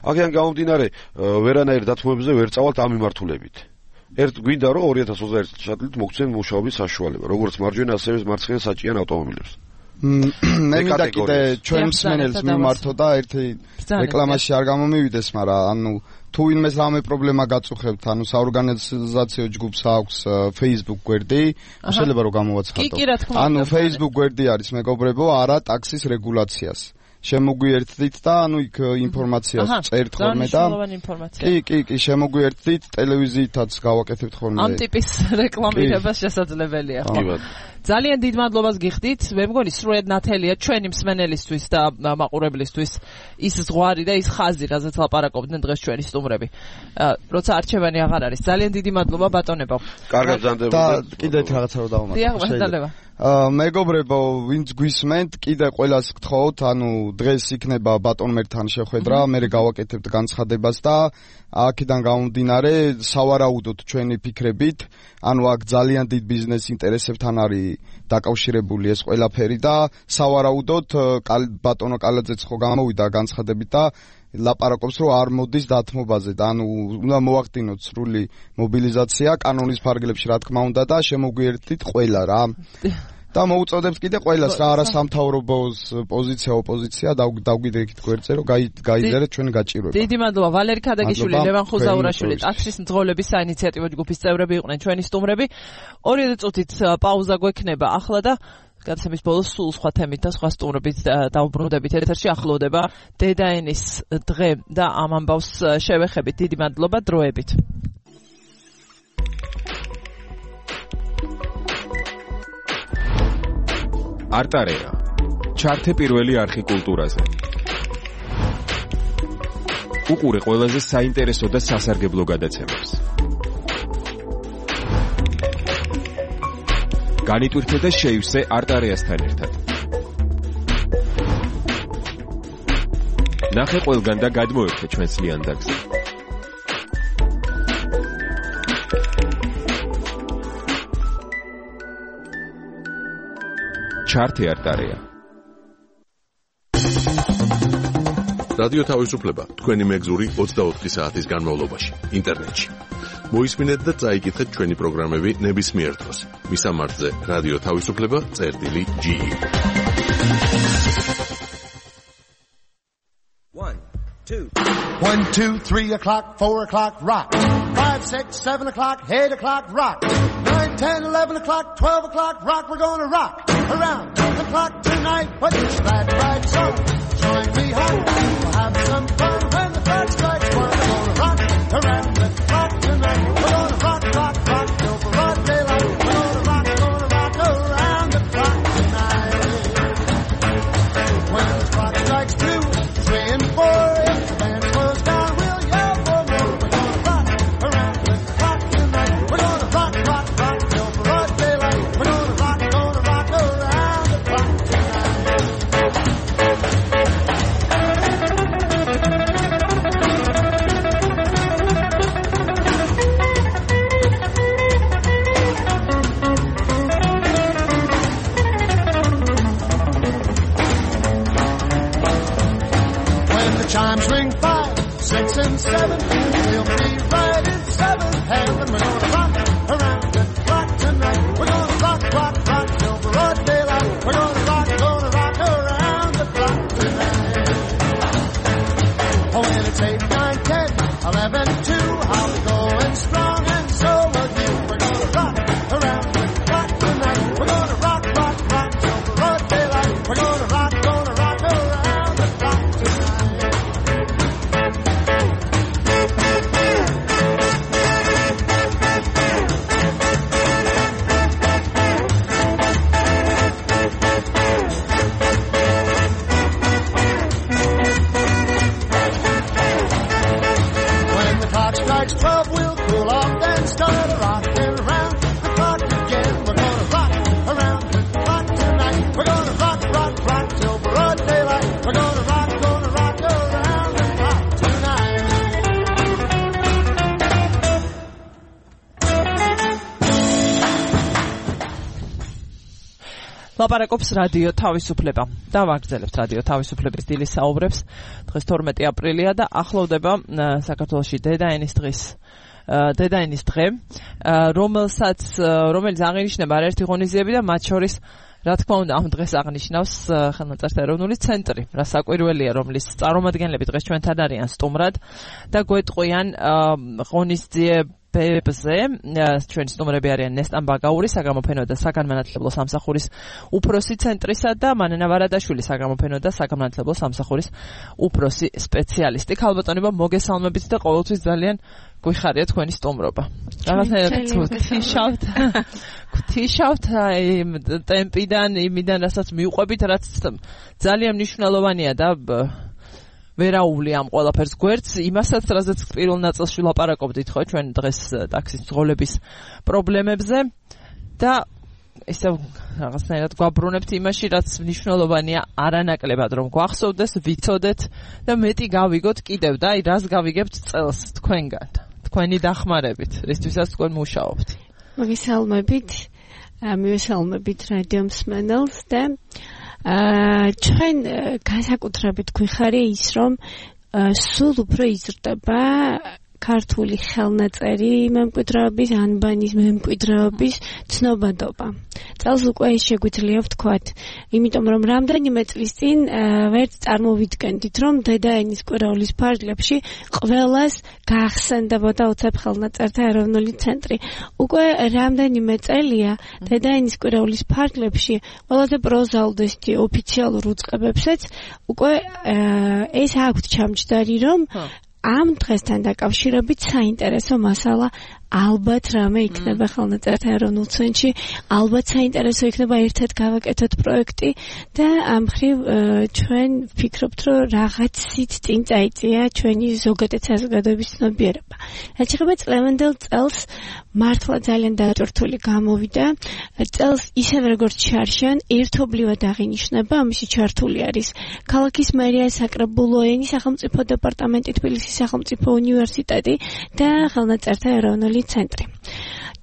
აქედან გამომდინარე, ვერანაირ დათმობებზე ვერ წავალთ ამ მიმართულებით. ერთ გვინდა რომ ორი ათას ოცდაერთი შატლით მოგცენ მუშაობის საშუალება, როგორც მარჯვენა ასევე მარცხენა საჭიან ავტომობილებს. მე მინდა კიდე ჩვენ მსმენელს მიმართო და ერთი რეკლამაში არ გამომივიდეს, მაგრამ ანუ თუ ვინმეს რამე პრობლემა გაწუხებთ, ანუ საორგანიზაციო ჯგუფს აქვს Facebook გვერდი, შეიძლება რომ გამოვაცხადო. ანუ Facebook გვერდი არის მეგობრებო, არა ტაქსის რეგულაციას. შემოგვიერთდით და ანუ იქ ინფორმაციას წერთ ხოლმე და კი კი კი შემოგვიერთდით ტელევიზიითაც გავაკეთებთ ხოლმე ამ ტიპის რეკლამირება შესაძლებელია ხო ძალიან დიდ მადლობას გიხდით მე მგონი სრულად ნათელია ჩვენი მსმენელისთვის და მაყურებლისთვის ის ზღვარი და ის ხაზი რაზეც ლაპარაკობდნენ დღეს ჩვენი სტუმრები როცა არჩევანი აღარ არის ძალიან დიდი მადლობა ბატონებო კარგად ბრძანდებოდეთ და კიდევ რაღაცა რომ დავამატო შეიძლება მეგობრებო, ვინც გვისმენთ, კიდე ყველას გთხოვთ, ანუ დღეს იქნება ბატონმერთან შეხვედრა, მე გავაკეთებთ განცხადებას და აქედან გამომდინარე, სავარაუდოდ ჩვენი ფიქრებით, ანუ აქ ძალიან დიდ ბიზნეს ინტერესებთან არის დაკავშირებული ეს ყველაფერი და სავარაუდოდ ბატონო კალაძეც ხო გამოვიდა განცხადებით და ლაპარაკობს რომ არ მოდის დათმობაზე და ანუ უნდა მოახდინოთ სრული მობილიზაცია კანონის ფარგლებში რა თქმა უნდა და შემოგვიერთდით ყველა რა და მოუწოდებს კიდე ყველას რა არა სამთავრობოს პოზიცია ოპოზიცია დავგვიდექით გვერდზე რომ გაიძერეთ ჩვენი გაჭირვება დიდი მადლობა ვალერი ქადაგიშვილი ლევან ხუზაურაშვილი ტაქსის მძღოლების საინიციატივო ჯგუფის წევრები იყვნენ ჩვენი სტუმრები ორი წუთით პაუზა გვექნება ახლა და გადაცემის ბოლოს სულ სხვა თემით და სხვა სტუმრებით დავუბრუნდებით ეთერში ახლოვდება დედაენის დღე და ამ ამბავს შევეხებით დიდი მადლობა დროებით არტარეა ჩართე პირველი არხი კულტურაზე უყურე ყველაზე საინტერესო და სასარგებლო გადაცემებს განიტვირთე და შეივსე არტარეასთან ერთად. ნახე ყველგან და გადმოერთე ჩვენს ლიანდაგზე. ჩართე არტარეა. რადიო თავისუფლება თქვენი მეგზური ოცდაოთხი საათის განმავლობაში ინტერნეტში. მოისმინეთ და წაიკითხეთ ჩვენი პროგრამები ნებისმიერ დროს. მისამართზე რადიო თავისუფლება წერტილი ჯი. One, two. One, two, three o'clock, four o'clock, rock. Five, six, seven o'clock, eight o'clock, rock. Nine, ten, eleven o'clock, twelve o'clock, rock. We're gonna rock around the clock tonight. What's that right? So join me home. We'll have some fun when the clock strikes one. We're gonna rock around the clock tonight. We're gonna rock, rock, rock till broad daylight. We're gonna rock, gonna rock around the clock tonight. When the clock strikes two, three and four, if the band slows down, we'll yell for more. We're gonna rock around the clock tonight. We're gonna rock, rock, rock till broad daylight. We're gonna rock, gonna rock around the clock tonight. When the chimes ring five, six and seven, we'll be right in seventh heaven. We're gonna rock around the clock tonight. We're gonna rock, rock, rock till broad daylight. We're gonna rock, gonna rock around the clock tonight. Oh, when it's eight, nine, ten, eleven, two, I'll be going strong and so will you. We're gonna rock around the clock tonight. We're gonna rock, rock, rock till broad daylight. We're gonna rock, gonna rock around the clock tonight. When the clock strikes twelve, we'll cool off, then start rocking around the clock again. We're gonna rock around the clock tonight. We're gonna rock, rock, rock till broad daylight. We're gonna rock, gonna rock around the clock tonight. ლაპარაკობს რადიო თავისუფლება და ვაგრძელებთ რადიო თავისუფლების დილის საუბრებს. დღეს თორმეტი აპრილია და ახლოვდება ა, საქართველოში დედაენის დღის ა, დედაენის დღე, ა, რომელსაც ა, რომელიც აღინიშნება არაერთი ღონისძიები და მათ შორის რა თქმა უნდა ამ დღეს აღნიშნავს ა, ხელნაწერთა ეროვნული ცენტრი, რა საკვირველია, რომლის წარმომადგენლები დღეს ჩვენთან არიან სტუმრად და გვეტყვიან ა, ღონისძიებებზე. ჩვენი სტუმრები არიან ნესტან ბაგაური, საგამოფენო და საგანმანათლებლო სამსახურის უფროსი ცენტრისა და მანენა ვარადაშვილი, საგამოფენო და საგანმანათლებლო სამსახურის უფროსი სპეციალისტი. ქალბატონებო, მოგესალმებით და ყოველთვის ძალიან გვიხარია თქვენი სტუმრობა. რაღაცნაირად გვთიშავთ. გვთიშავთ აი ტემპიდან, იმიდან, რასაც მიუყვებით, რაც ძალიან მნიშვნელოვანია და ვერაული ამ ყველაფერს გვერდს, იმასაც, რაზეც პირველ ნაწილში ვლაპარაკობდით, ხო, ჩვენ დღეს ტაქსის მძღოლების პრობლემებზე და ისე რაღაცნაირად გვაბრუნებთ იმაში, რაც მნიშვნელოვანია არანაკლებად, რომ გვახსოვდეს, ვიცოდეთ და მეტი გავიგოთ კიდევ და აი რას გავიგებთ წელს თქვენგან, თქვენი დახმარებით, რისთვისაც თქვენ მუშაობთ. მოგესალმებით, მივესალმებით რადიო მსმენელს და აა ჩვენ განსაკუთრებით გვიხარია ის, რომ სულ უფრო იზრდება ქართული ხელნაწერი მემკვიდრეობის, ანბანის მემკვიდრეობის ცნობადობა. წელს უკვე შეგვიძლია ვთქვათ, იმიტომ რომ რამდენიმე წლის წინ ვერც წარმოვიდგენდით, რომ დედაენის კვირაულის ფარგლებში ყველას გაახსენდებოდა უცებ ხელნაწერთა ეროვნული ცენტრი. უკვე რამდენიმე წელია დედაენის კვირაულის ფარგლებში ყველაზე პროზაუდესტი ოფიციალურ უწყებებსაც უკვე ეს აქვთ ჩამჯდარი, რომ ამ დღესთან დაკავშირებით საინტერესო მასალა ალბათ რამე იქნება ხელნაწერთა ეროვნულ ცენტრში, ალბათ საინტერესო იქნება ერთად გავაკეთოთ პროექტი და ამ მხრივ ჩვენ ვფიქრობთ, რომ რაღაცით წინ წაიწია ჩვენი ზოგადად საზოგადოების ცნობიერება. რაც შეეხება წლევანდელ წელს, მართლა ძალიან დაჭრთული გამოვიდა. წელს ისევე როგორც შარშან, ერთობლივად აღინიშნება, ამისი ჩართული არის ქალაქის მერია, საკრებულო ენის სახელმწიფო დეპარტამენტი, თბილისის სახელმწიფო უნივერსიტეტი და ხელნაწერთა ეროვნული ცენტრი.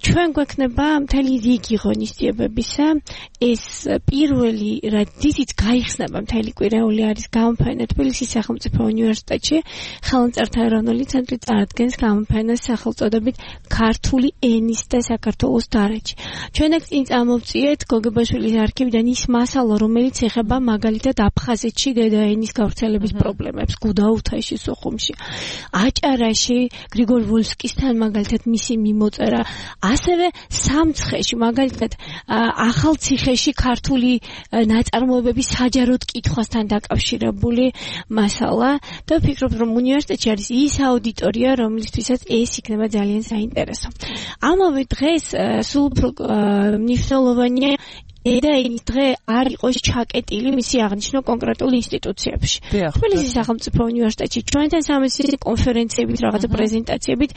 ჩვენ გვექნება მთელი რიგი ღონისძიებებისა, ეს პირველი რადითიც გაიხსნება მთელი კვირეული არის გამოფენა თბილისის სახელმწიფო უნივერსიტეტში, ხელნაწერთა ეროვნული ცენტრი წარადგენს გამოფენას სახელწოდებით ქართული ენის და საქართველოს დარაჯი. ჩვენ აქ წინ წამოვწიეთ გოგებაშვილის არქივიდან ის მასალა, რომელიც ეხება მაგალითად აფხაზეთში დედაენის გავრცელების პრობლემებს, გუდაუთაში, სოხუმში, აჭარაში, გრიგორ ვოლსკისთან მაგალითად მისი მიმოწერა, ასევე სამცხეში, მაგალითად ახალციხეში ქართული ნაწარმოებების საჯაროდ კითხვასთან დაკავშირებული მასალა და ვფიქრობ, რომ უნივერსიტეტში არის ის აუდიტორია, რომლისთვისაც ეს იქნება ძალიან საინტერესო. ამავე დღეს სულ უფრო მნიშვნელოვანია დედაენის დღე არ იყოს ჩაკეტილი მისი აღნიშვნა კონკრეტულ ინსტიტუციებში. თბილისის სახელმწიფო უნივერსიტეტში ჩვენთან სამეცნიერო კონფერენციებით, რაღაცა პრეზენტაციებით,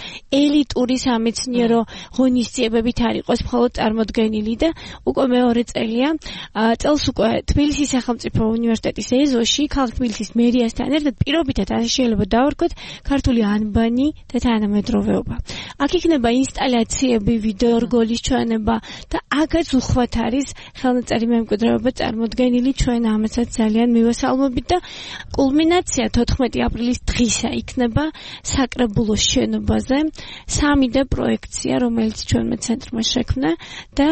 ელიტური სამეცნიერო ღონისძიებებით არ იყოს მხოლოდ წარმოდგენილი და უკვე მეორე წელია. წელს უკვე თბილისის სახელმწიფო უნივერსიტეტის ეზოში, ქალაქ თბილისის მერიასთან ერთად პირობითად ასე შეიძლება დავარქვათ ქართული ანბანი და თანამედროვეობა. აქ იქნება ინსტალაციები, ვიდეო რგოლის ჩვენება და აქაც უხვად არის ხელნაწერი მემკვიდრეობა წარმოდგენილი, ჩვენ ამასაც ძალიან მივესალმებით და კულმინაცია თოთხმეტი აპრილის დღისა იქნება საკრებულოს შენობაზე, სამი დე პროექცია, რომელიც ჩვენმა ცენტრმა შექმნა და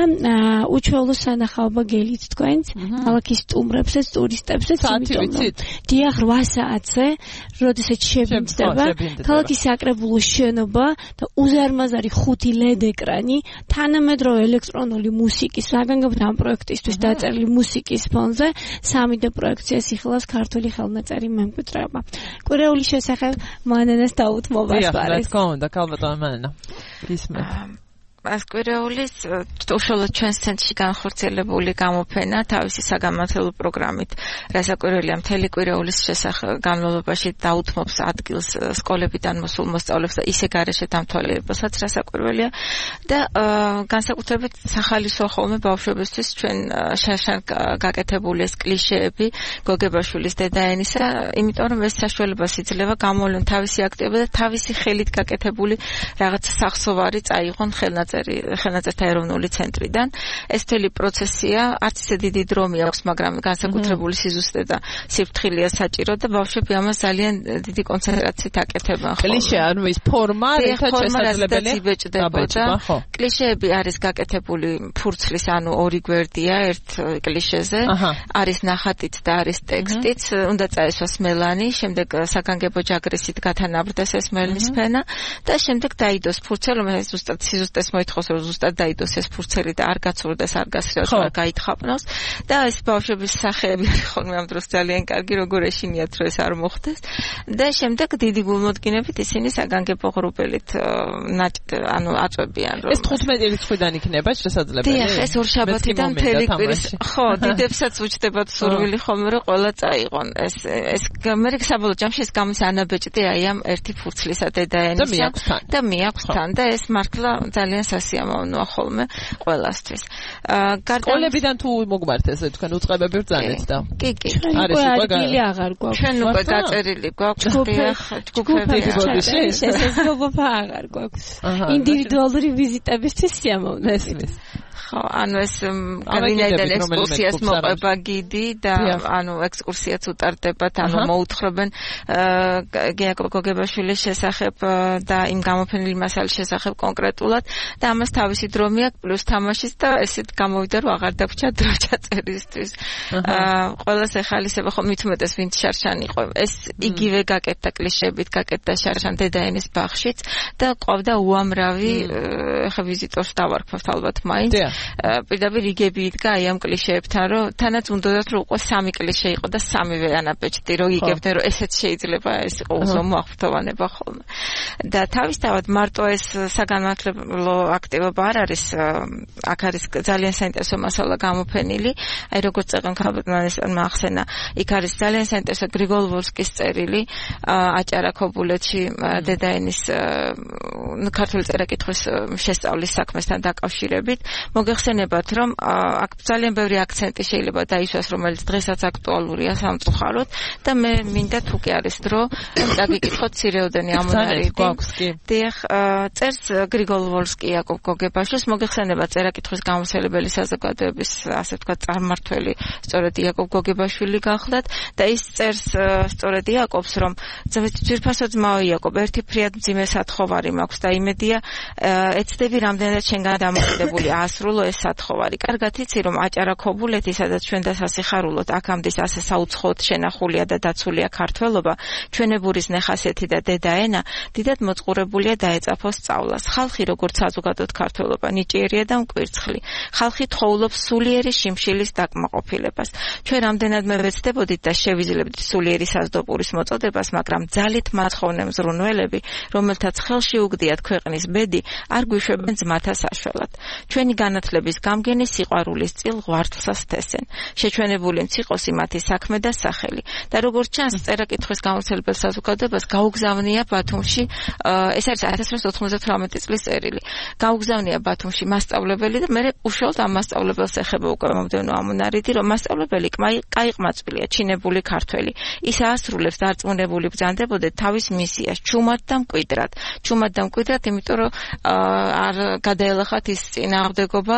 უჩვეულო სანახაობა გელით თქვენს, ქალაქის სტუმრებსაც, ტურისტებსაც, დიახ, რვა საათზე, როდესაც შევიმცდება ქალაქის საკრებულოს შენობა და უზარმაზარი ხუთი ლედ ეკრანი, თანამედროვე ელექტრონული მუსიკის საგანგებოდ ამ პროექტისთვის დაწერილი მუსიკის ფონზე სამი დე პროექციას იხილავს ქართული ხელნაწერი მემკვიდრეობა. კვირეულის შესახებ მანენას დაუთმობას არის. დიახ, რა თქმა უნდა, ქალბატონო მანენა. გისმენთ. ეს კვირეულის უშუალოდ ჩვენს ცენტრში განხორციელებული გამოფენა თავისი საგამართლებლო პროგრამით, რასაკვირველია მთელი კვირეულის შესახებ განმავლობაში დაუთმობს ადგილს სკოლებიდან მოსულ მოსწავლეებს და ისე გარეშე დამთვალიერებასაც, რასაკვირველია და განსაკუთრებით სახალისო ხოლმე ბავშვებისთვის ჩვენ შარშან გაკეთებული ეს კლიშეები გოგებაშვილის დედაენისა, იმიტომ რომ ეს საშუალებას იძლევა გამოვლენ თავისი აქტივობა და თავისი ხელით გაკეთებული რაღაც სახსოვარი წაიღონ ხელნაწერი ხელნაწერთა ეროვნული ცენტრიდან. ეს მთელი პროცესია არც ისე დიდი დრო მიაქვს, მაგრამ განსაკუთრებული სიზუსტე და სიფრთხილეა საჭირო და ბავშვები ამას ძალიან დიდი კონცენტრაციით აკეთებენ. კლიშე ანუ ის ფორმა, რითაც შესაძლებელია. კლიშეები არის გაკეთებული ფურცლის, ანუ ორი გვერდია ერთ კლიშეზე, არის ნახატიც და არის ტექსტიც, უნდა წაესვას მელანი, შემდეგ საგანგებო ჯაგრისით გათანაბრდეს ეს მელნის ფენა და შემდეგ დაიდოს ფურცელი, რომელიც ზუსტად სიზუსტეს მოითხოვს, რომ ზუსტად დაიდოს ეს ფურცელი და არ გაცურდეს, არ გასრიოს, არ გაითხაპნოს და ეს ბავშვების სახეები არის ხოლმე ამ დროს ძალიან კარგი, როგორ ეშინიათ, რომ ეს არ მოხდეს და შემდეგ დიდი გულმოდგინებით ისინი საგანგებო ღრუბელით ანუ აწვევიან, რომ ეს თხუთმეტი რიცხვიდან იქნება შესაძლებელი. დიახ, ეს ორშაბათიდან მთელი კვირის, ხო, დიდებსაც უჩნდებათ სურვილი ხოლმე, რომ ყველა წაიღონ. ეს ეს მე საბოლოო ჯამში ეს გამის ანაბეჭდი აი ამ ერთი ფურცლისა დედაენისა და მიაქვს თან და ეს მართლა ძალიან სასიამოვნოა ხოლმე ყველასთვის. სკოლებიდან თუ მოგმართ ესე თქვენ უწყებები ბრძანეთ და კი, კი. არის უკვე ადგილი აღარ გვაქვს. ჩვენ უკვე დაწერილი გვაქვს ჯგუფები. შესაძლებლობა აღარ გვაქვს. ინდივიდუალური ვიზიტებისთვის სიამოვნო ესმის. ხო, ანუ ეს გავინაიდან ექსკურსიას მოყვება გიდი და ანუ ექსკურსიაც უტარდებათ, ანუ მოუთხრობენ გიაკობ გოგებაშვილის შესახებ და იმ გამოფენილი მასალის შესახებ კონკრეტულად და ამას თავისი დრო მიაქვს, პლუს თამაშის და ესეთ გამოვიდა, რომ აღარ დაგვრჩა დრო ჩაწერისთვის. ყველას ეხალისება, ხო, მით უმეტეს ვინც შარშან იყო. ეს იგივე გაკეთდა კლიშეებით, გაკეთდა შარშან დედაენის ბაღშიც და ყავდა უამრავი ხა ვიზიტორს დავარქვათ ალბათ მაინც. პირდაპირ იგები იდგა აი ამ კლიშეებთან, რომ თანაც უნდათ რომ უკვე სამი კლიშე იყო და სამივე ანაბეჭდი, რომ იგებდნენ, რომ ესეც შეიძლება ეს იყო უზომო აღფრთოვანება ხოლმე. და თავისთავად მარტო ეს საგანმანათლებლო აქტივობა არ არის, აქ არის ძალიან საინტერესო მასალა გამოფენილი, აი როგორც წეგან ქალბატონმა ახსენა, იქ არის ძალიან საინტერესო გრიგოლ ვოლსკის წერილი აჭარა ქობულეთში დედაენის ქართული წერა-კითხვის შესწავლის საქმესთან დაკავშირებით. მოგეხსენებათ, რომ აქ ძალიან ბევრი აქცენტი შეიძლება დაისვას, რომელიც დღესაც აქტუალურია სამწუხაროდ და მე მინდა თუ კი არის დრო, დაგიკითხოთ ცირეოდენი ამონარიდი. დიახ, წერს გრიგოლ ვოლსკი იაკობ გოგებაშვილს, მოგეხსენება წერა-კითხვის გამავრცელებელი საზოგადოების, ასე ვთქვათ, წარმმართველი სწორედ იაკობ გოგებაშვილი გახლდათ და ის წერს სწორედ იაკობს, რომ ძვირფასო ძმაო იაკობ, ერთი ფრიად მძიმე სათხოვარი მაქვს და იმედია ეცდები რამდენად შენგან დამოკიდებული აასრულო ეს სათხოვარი. კარგად იცი, რომ აჭარა ქობულეთი, სადაც ჩვენ და სასიხარულოდ აქამდე ასე საუცხოოდ შენახულია და დაცულია ქართველობა, ჩვენებურის ნეხასეთი და დედაენა, დიდად მოწყურებულია დაეწაფოს სწავლას. ხალხი როგორც საზოგადოდ ქართველობა ნიჭიერია და მკვირცხლი. ხალხი თხოვლობს სულიერი შიმშილის დაკმაყოფილებას. ჩვენ რამდენადმე ვეცდებოდით და შევიძლებდით სულიერი საზდოპურის მოწოდებას, მაგრამ ძალით მაცხოვნე მზრუნველები, რომელთაც ხელში უგდიათ ქვეყნის ბედი, არ გვიშვებენ ძმათა საშველად. ჩვენი განათლების გამგენი სიყვარულის წილ ღვართლსა სთესენ. შეჩვენებული მციყოსი მათი საქმე და სახელი. და როგორც ჩანს, წერა-კითხვის გამავრცელებელ საზოგადოებას გაუგზავნია ბათუმში, ეს არის ათას რვაასი ოთხმოცდათვრამეტი წლის წერილი. გაუგზავნია ბათუმში მასწავლებელი და მე უშუალოდ ამ მასწავლებელს ეხება უკვე მომდევნო ამონარიდი, რომ მასწავლებელი კაიყმაწვილია, ჩინებული ქართველი. ის აასრულებს დარწმუნებული ბრძანდებოდეთ თავის მისიას, ჩუმად და მკვიდრად. ჩუმად და მკვიდრად, იმიტომ რომ არ გადაელახათ ის წინააღმდეგობა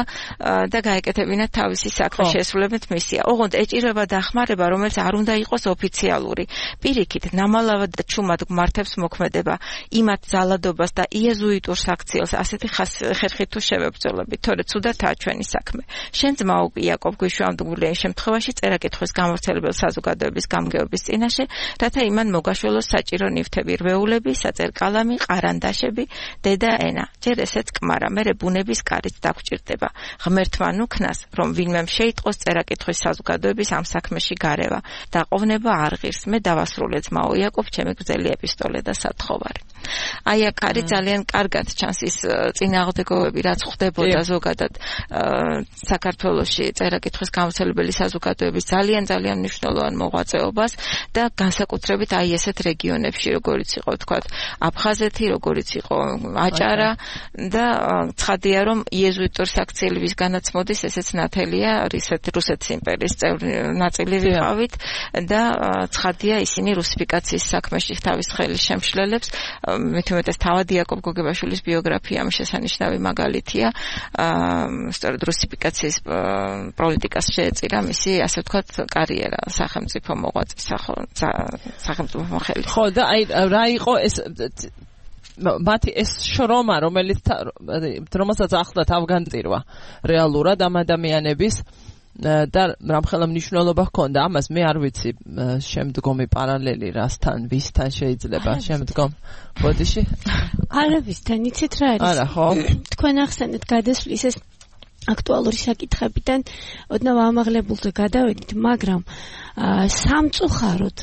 და გაეკეთებინათ თავისი საქმე შესრულებით მისია. ოღონდ ეჭირება დახმარება, რომელიც არ უნდა იყოს ოფიციალური. პირიქით, ნამალავად და ჩუმად გმართებს მოქმედება, იმათ ძალადობას და იეზუიტურ საქციელს ასეთი ხერხით თუ შევებრძოლებით, თორე ცუდათაა ჩვენი საქმე. შენ ძმაო იაკობ გვიშვამდგულია იმ შემთხვევაში წერა-კითხვის გამავრცელებელ საზოგადოების გამგეობის წინაშე, რათა იმან მოგაშველოს საჭირო ნივთები, რვეულები, საწერ-კალამი, ყარანდაშები, დედა ენა. ჯერ ესეც კმარა, მერე ბუნების კარით დაგჭირდება. ღმერთმა ნუქნას, რომ ვინმე შეიტყოს წერა-კითხვის საზოგადოების ამ საქმეში გარევა და ყოფნება არ ღირს. მე დავასრულე ძმაო იაკობ, ჩემი გრძელი ეპისტოლე და სათხოვარი. აი აქ არის ძალიან კარგად ჩანს ის წინააღმდეგობები, რაც ხდებოდა ზოგადად საქართველოში წერა-კითხვის გამავრცელებელი საზოგადოების ძალიან ძალიან მნიშვნელოვან მოღვაწეობას და განსაკუთრებით აი ესეთ რეგიონებში, როგორიც იყო თქვათ აფხაზეთი, როგორიც იყო აჭარა და ცხადია, რომ იეზუიტურ საქციელებისგანაც მოდის, ესეც ნათელია რუსეთის იმპერიის წევრი ნაწილი ვიყავით და ცხადია, ისინი რუსიფიკაციის საქმეში თავის ხელის შემშლელებს, მით უმეტეს თავად იაკობ გოგებაშვილის ბიოგრაფია ამ შესანიშნავი მაგალითია. სწორედ რუსიფიკაციის პოლიტიკას შეეწირა მისი, ასე ვთქვათ, კარიერა სახელმწიფო მოღვაწის სახელმწიფო მოხელე. ხო და აი რა იყო ეს მათი ეს შრომა, რომელიც რომელსაც ახლდათ ავგანწირვა რეალურად ამ ადამიანების და რამხელა მნიშვნელობა ჰქონდა ამას, მე არ ვიცი შემდგომი პარალელი რასთან, ვისთან შეიძლება შემდგომ ბოდიში? არავისთან, იცით რა არის? არა, ხო? თქვენ ახსენეთ გადასვლის ეს აქტუალური საკითხებიდან ოდნავ ამაღლებულზე გადავედით, მაგრამ სამწუხაროდ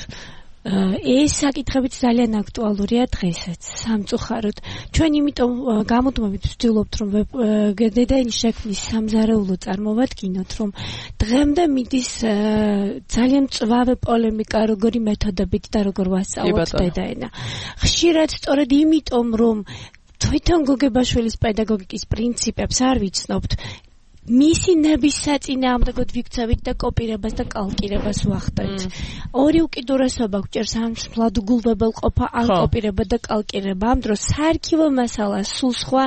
ეს საკითხებიც ძალიან აქტუალურია დღესაც, სამწუხაროდ. ჩვენ იმიტომ გამოდმებით ვცდილობთ, რომ დედაენის შექმნის სამზარეულო წარმოვადგინოთ, რომ დღემდე მიდის ძალიან მწვავე პოლემიკა, როგორი მეთოდებით და როგორ ვასწავლოთ დედაენა. ხშირად სწორედ იმიტომ, რომ თვითონ გოგებაშვილის პედაგოგიკის პრინციპებს არ ვიცნობთ, მისი ნების საწინააღმდეგოდ ვიქცევით და კოპირებას და კალკირებას ვახდენთ. ორი უკიდურესობა გვჭერს ან მლადუგულვებელ ყოფა, ან კოპირება და კალკირება. ამ დროს საარქივო მასალა სულ სხვა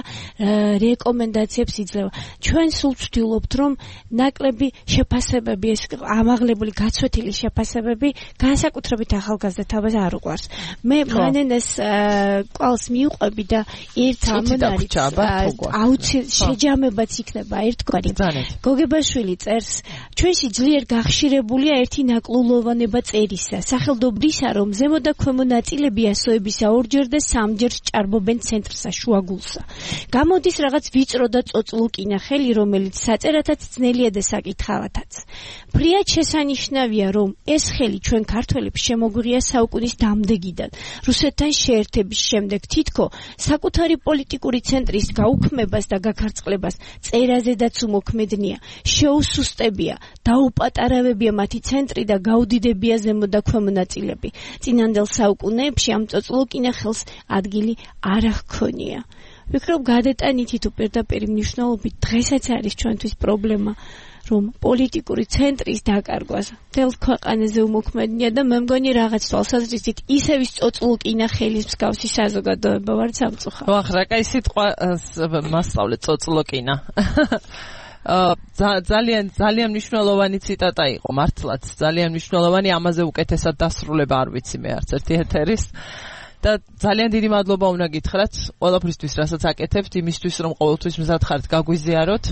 რეკომენდაციებს იძლევა. ჩვენ სულ ვცდილობთ, რომ ნაკლები შეფასებები, ეს ამაღლებული გაცვეთილი შეფასებები განსაკუთრებით ახალგაზრდა თავს არ უყვარს. მე მანენეს კვალს მივყვები და ერთ ამონარით აუცილებლად შეჯამებაც იქნება ერთგვარი. გოგებაშვილი წერს, ჩვენში ძლიერ გახშირებულია ერთი ნაკლულოვანება წერისა, სახელდობრისა, რომ ზემო და ქვემო ნაწილებია ასოებისა ორჯერ და სამჯერ ჭარბობენ ცენტრსა, შუაგულსა. გამოდის რაღაც ვიწრო და წოწლუკინა ხელი, რომელიც საწერათაც ძნელია და საკითხავათაც. ფრიად შესანიშნავია, რომ ეს ხელი ჩვენ ქართველებს შემოგვიღია საუკუნის დამდეგიდან, რუსეთთან შეერთების შემდეგ, თითქო საკუთარი პოლიტიკური ცენტრის გაუქმებას და გაქარწყლებას წერაზედაც მოქმედნია, შეუსუსტებია, დაუპატარავებია მათი ცენტრი და გაუდიდებია ზემო და ქვემო ნაწილები. წინანდელ საუკუნეებში ამ წოწლუკინა ხელს ადგილი არ ჰქონია. ვფიქრობ გადატანითი თუ პირდაპირ მნიშვნელობით დღესაც არის ჩვენთვის პრობლემა რომ პოლიტიკური ცენტრის დაკარგვას მთელ ქვეყანაზე უმოქმედნია და მე მგონი რაღაც თვალსაზრისით ისევ ის წოწლუკინა ხელის მსგავსი საზოგადოება ვარ სამწუხაროდ. ხო, ახლა კაი სიტყვა მასწავლე წოწლუკინა. ძალიან ძალიან მნიშვნელოვანი ციტატა იყო, მართლაც ძალიან მნიშვნელოვანი, ამაზე უკეთესად დასრულება არ ვიცი მე არც ერთი ეთერის. და ძალიან დიდი მადლობა უნდა გითხრათ ყველაფრისთვის, რასაც აკეთებთ, იმისთვის რომ ყოველთვის მზად ხართ გაგვიზიაროთ.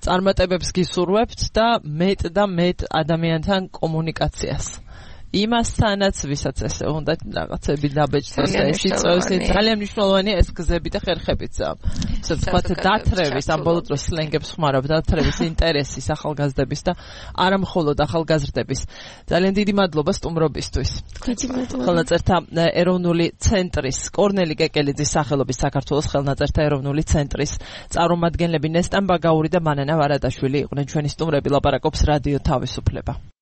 წარმატებებს გისურვებთ და მეტ და მეტ ადამიანთან კომუნიკაციას. იმასთანაც, ვისაც ესე უნდა რაღაცები დაბეჭდეს და ეს იწევს, ძალიან მნიშვნელოვანია ეს გზები და ხერხებიც. ასე ვთქვათ, დათრევის, ამ ბოლო დროს სლენგებს ხმარობ, დათრევის ინტერესის ახალგაზრდების და არა მხოლოდ ახალგაზრდების. ძალიან დიდი მადლობა სტუმრობისთვის. ხელნაწერთა ეროვნული ცენტრის კორნელი კეკელიძის სახელობის საქართველოს ხელნაწერთა ეროვნული ცენტრის წარმომადგენლები ნესტან ბაგაური და მანანა ვარადაშვილი იყვნენ ჩვენი სტუმრები. ლაპარაკობს რადიო თავისუფლება.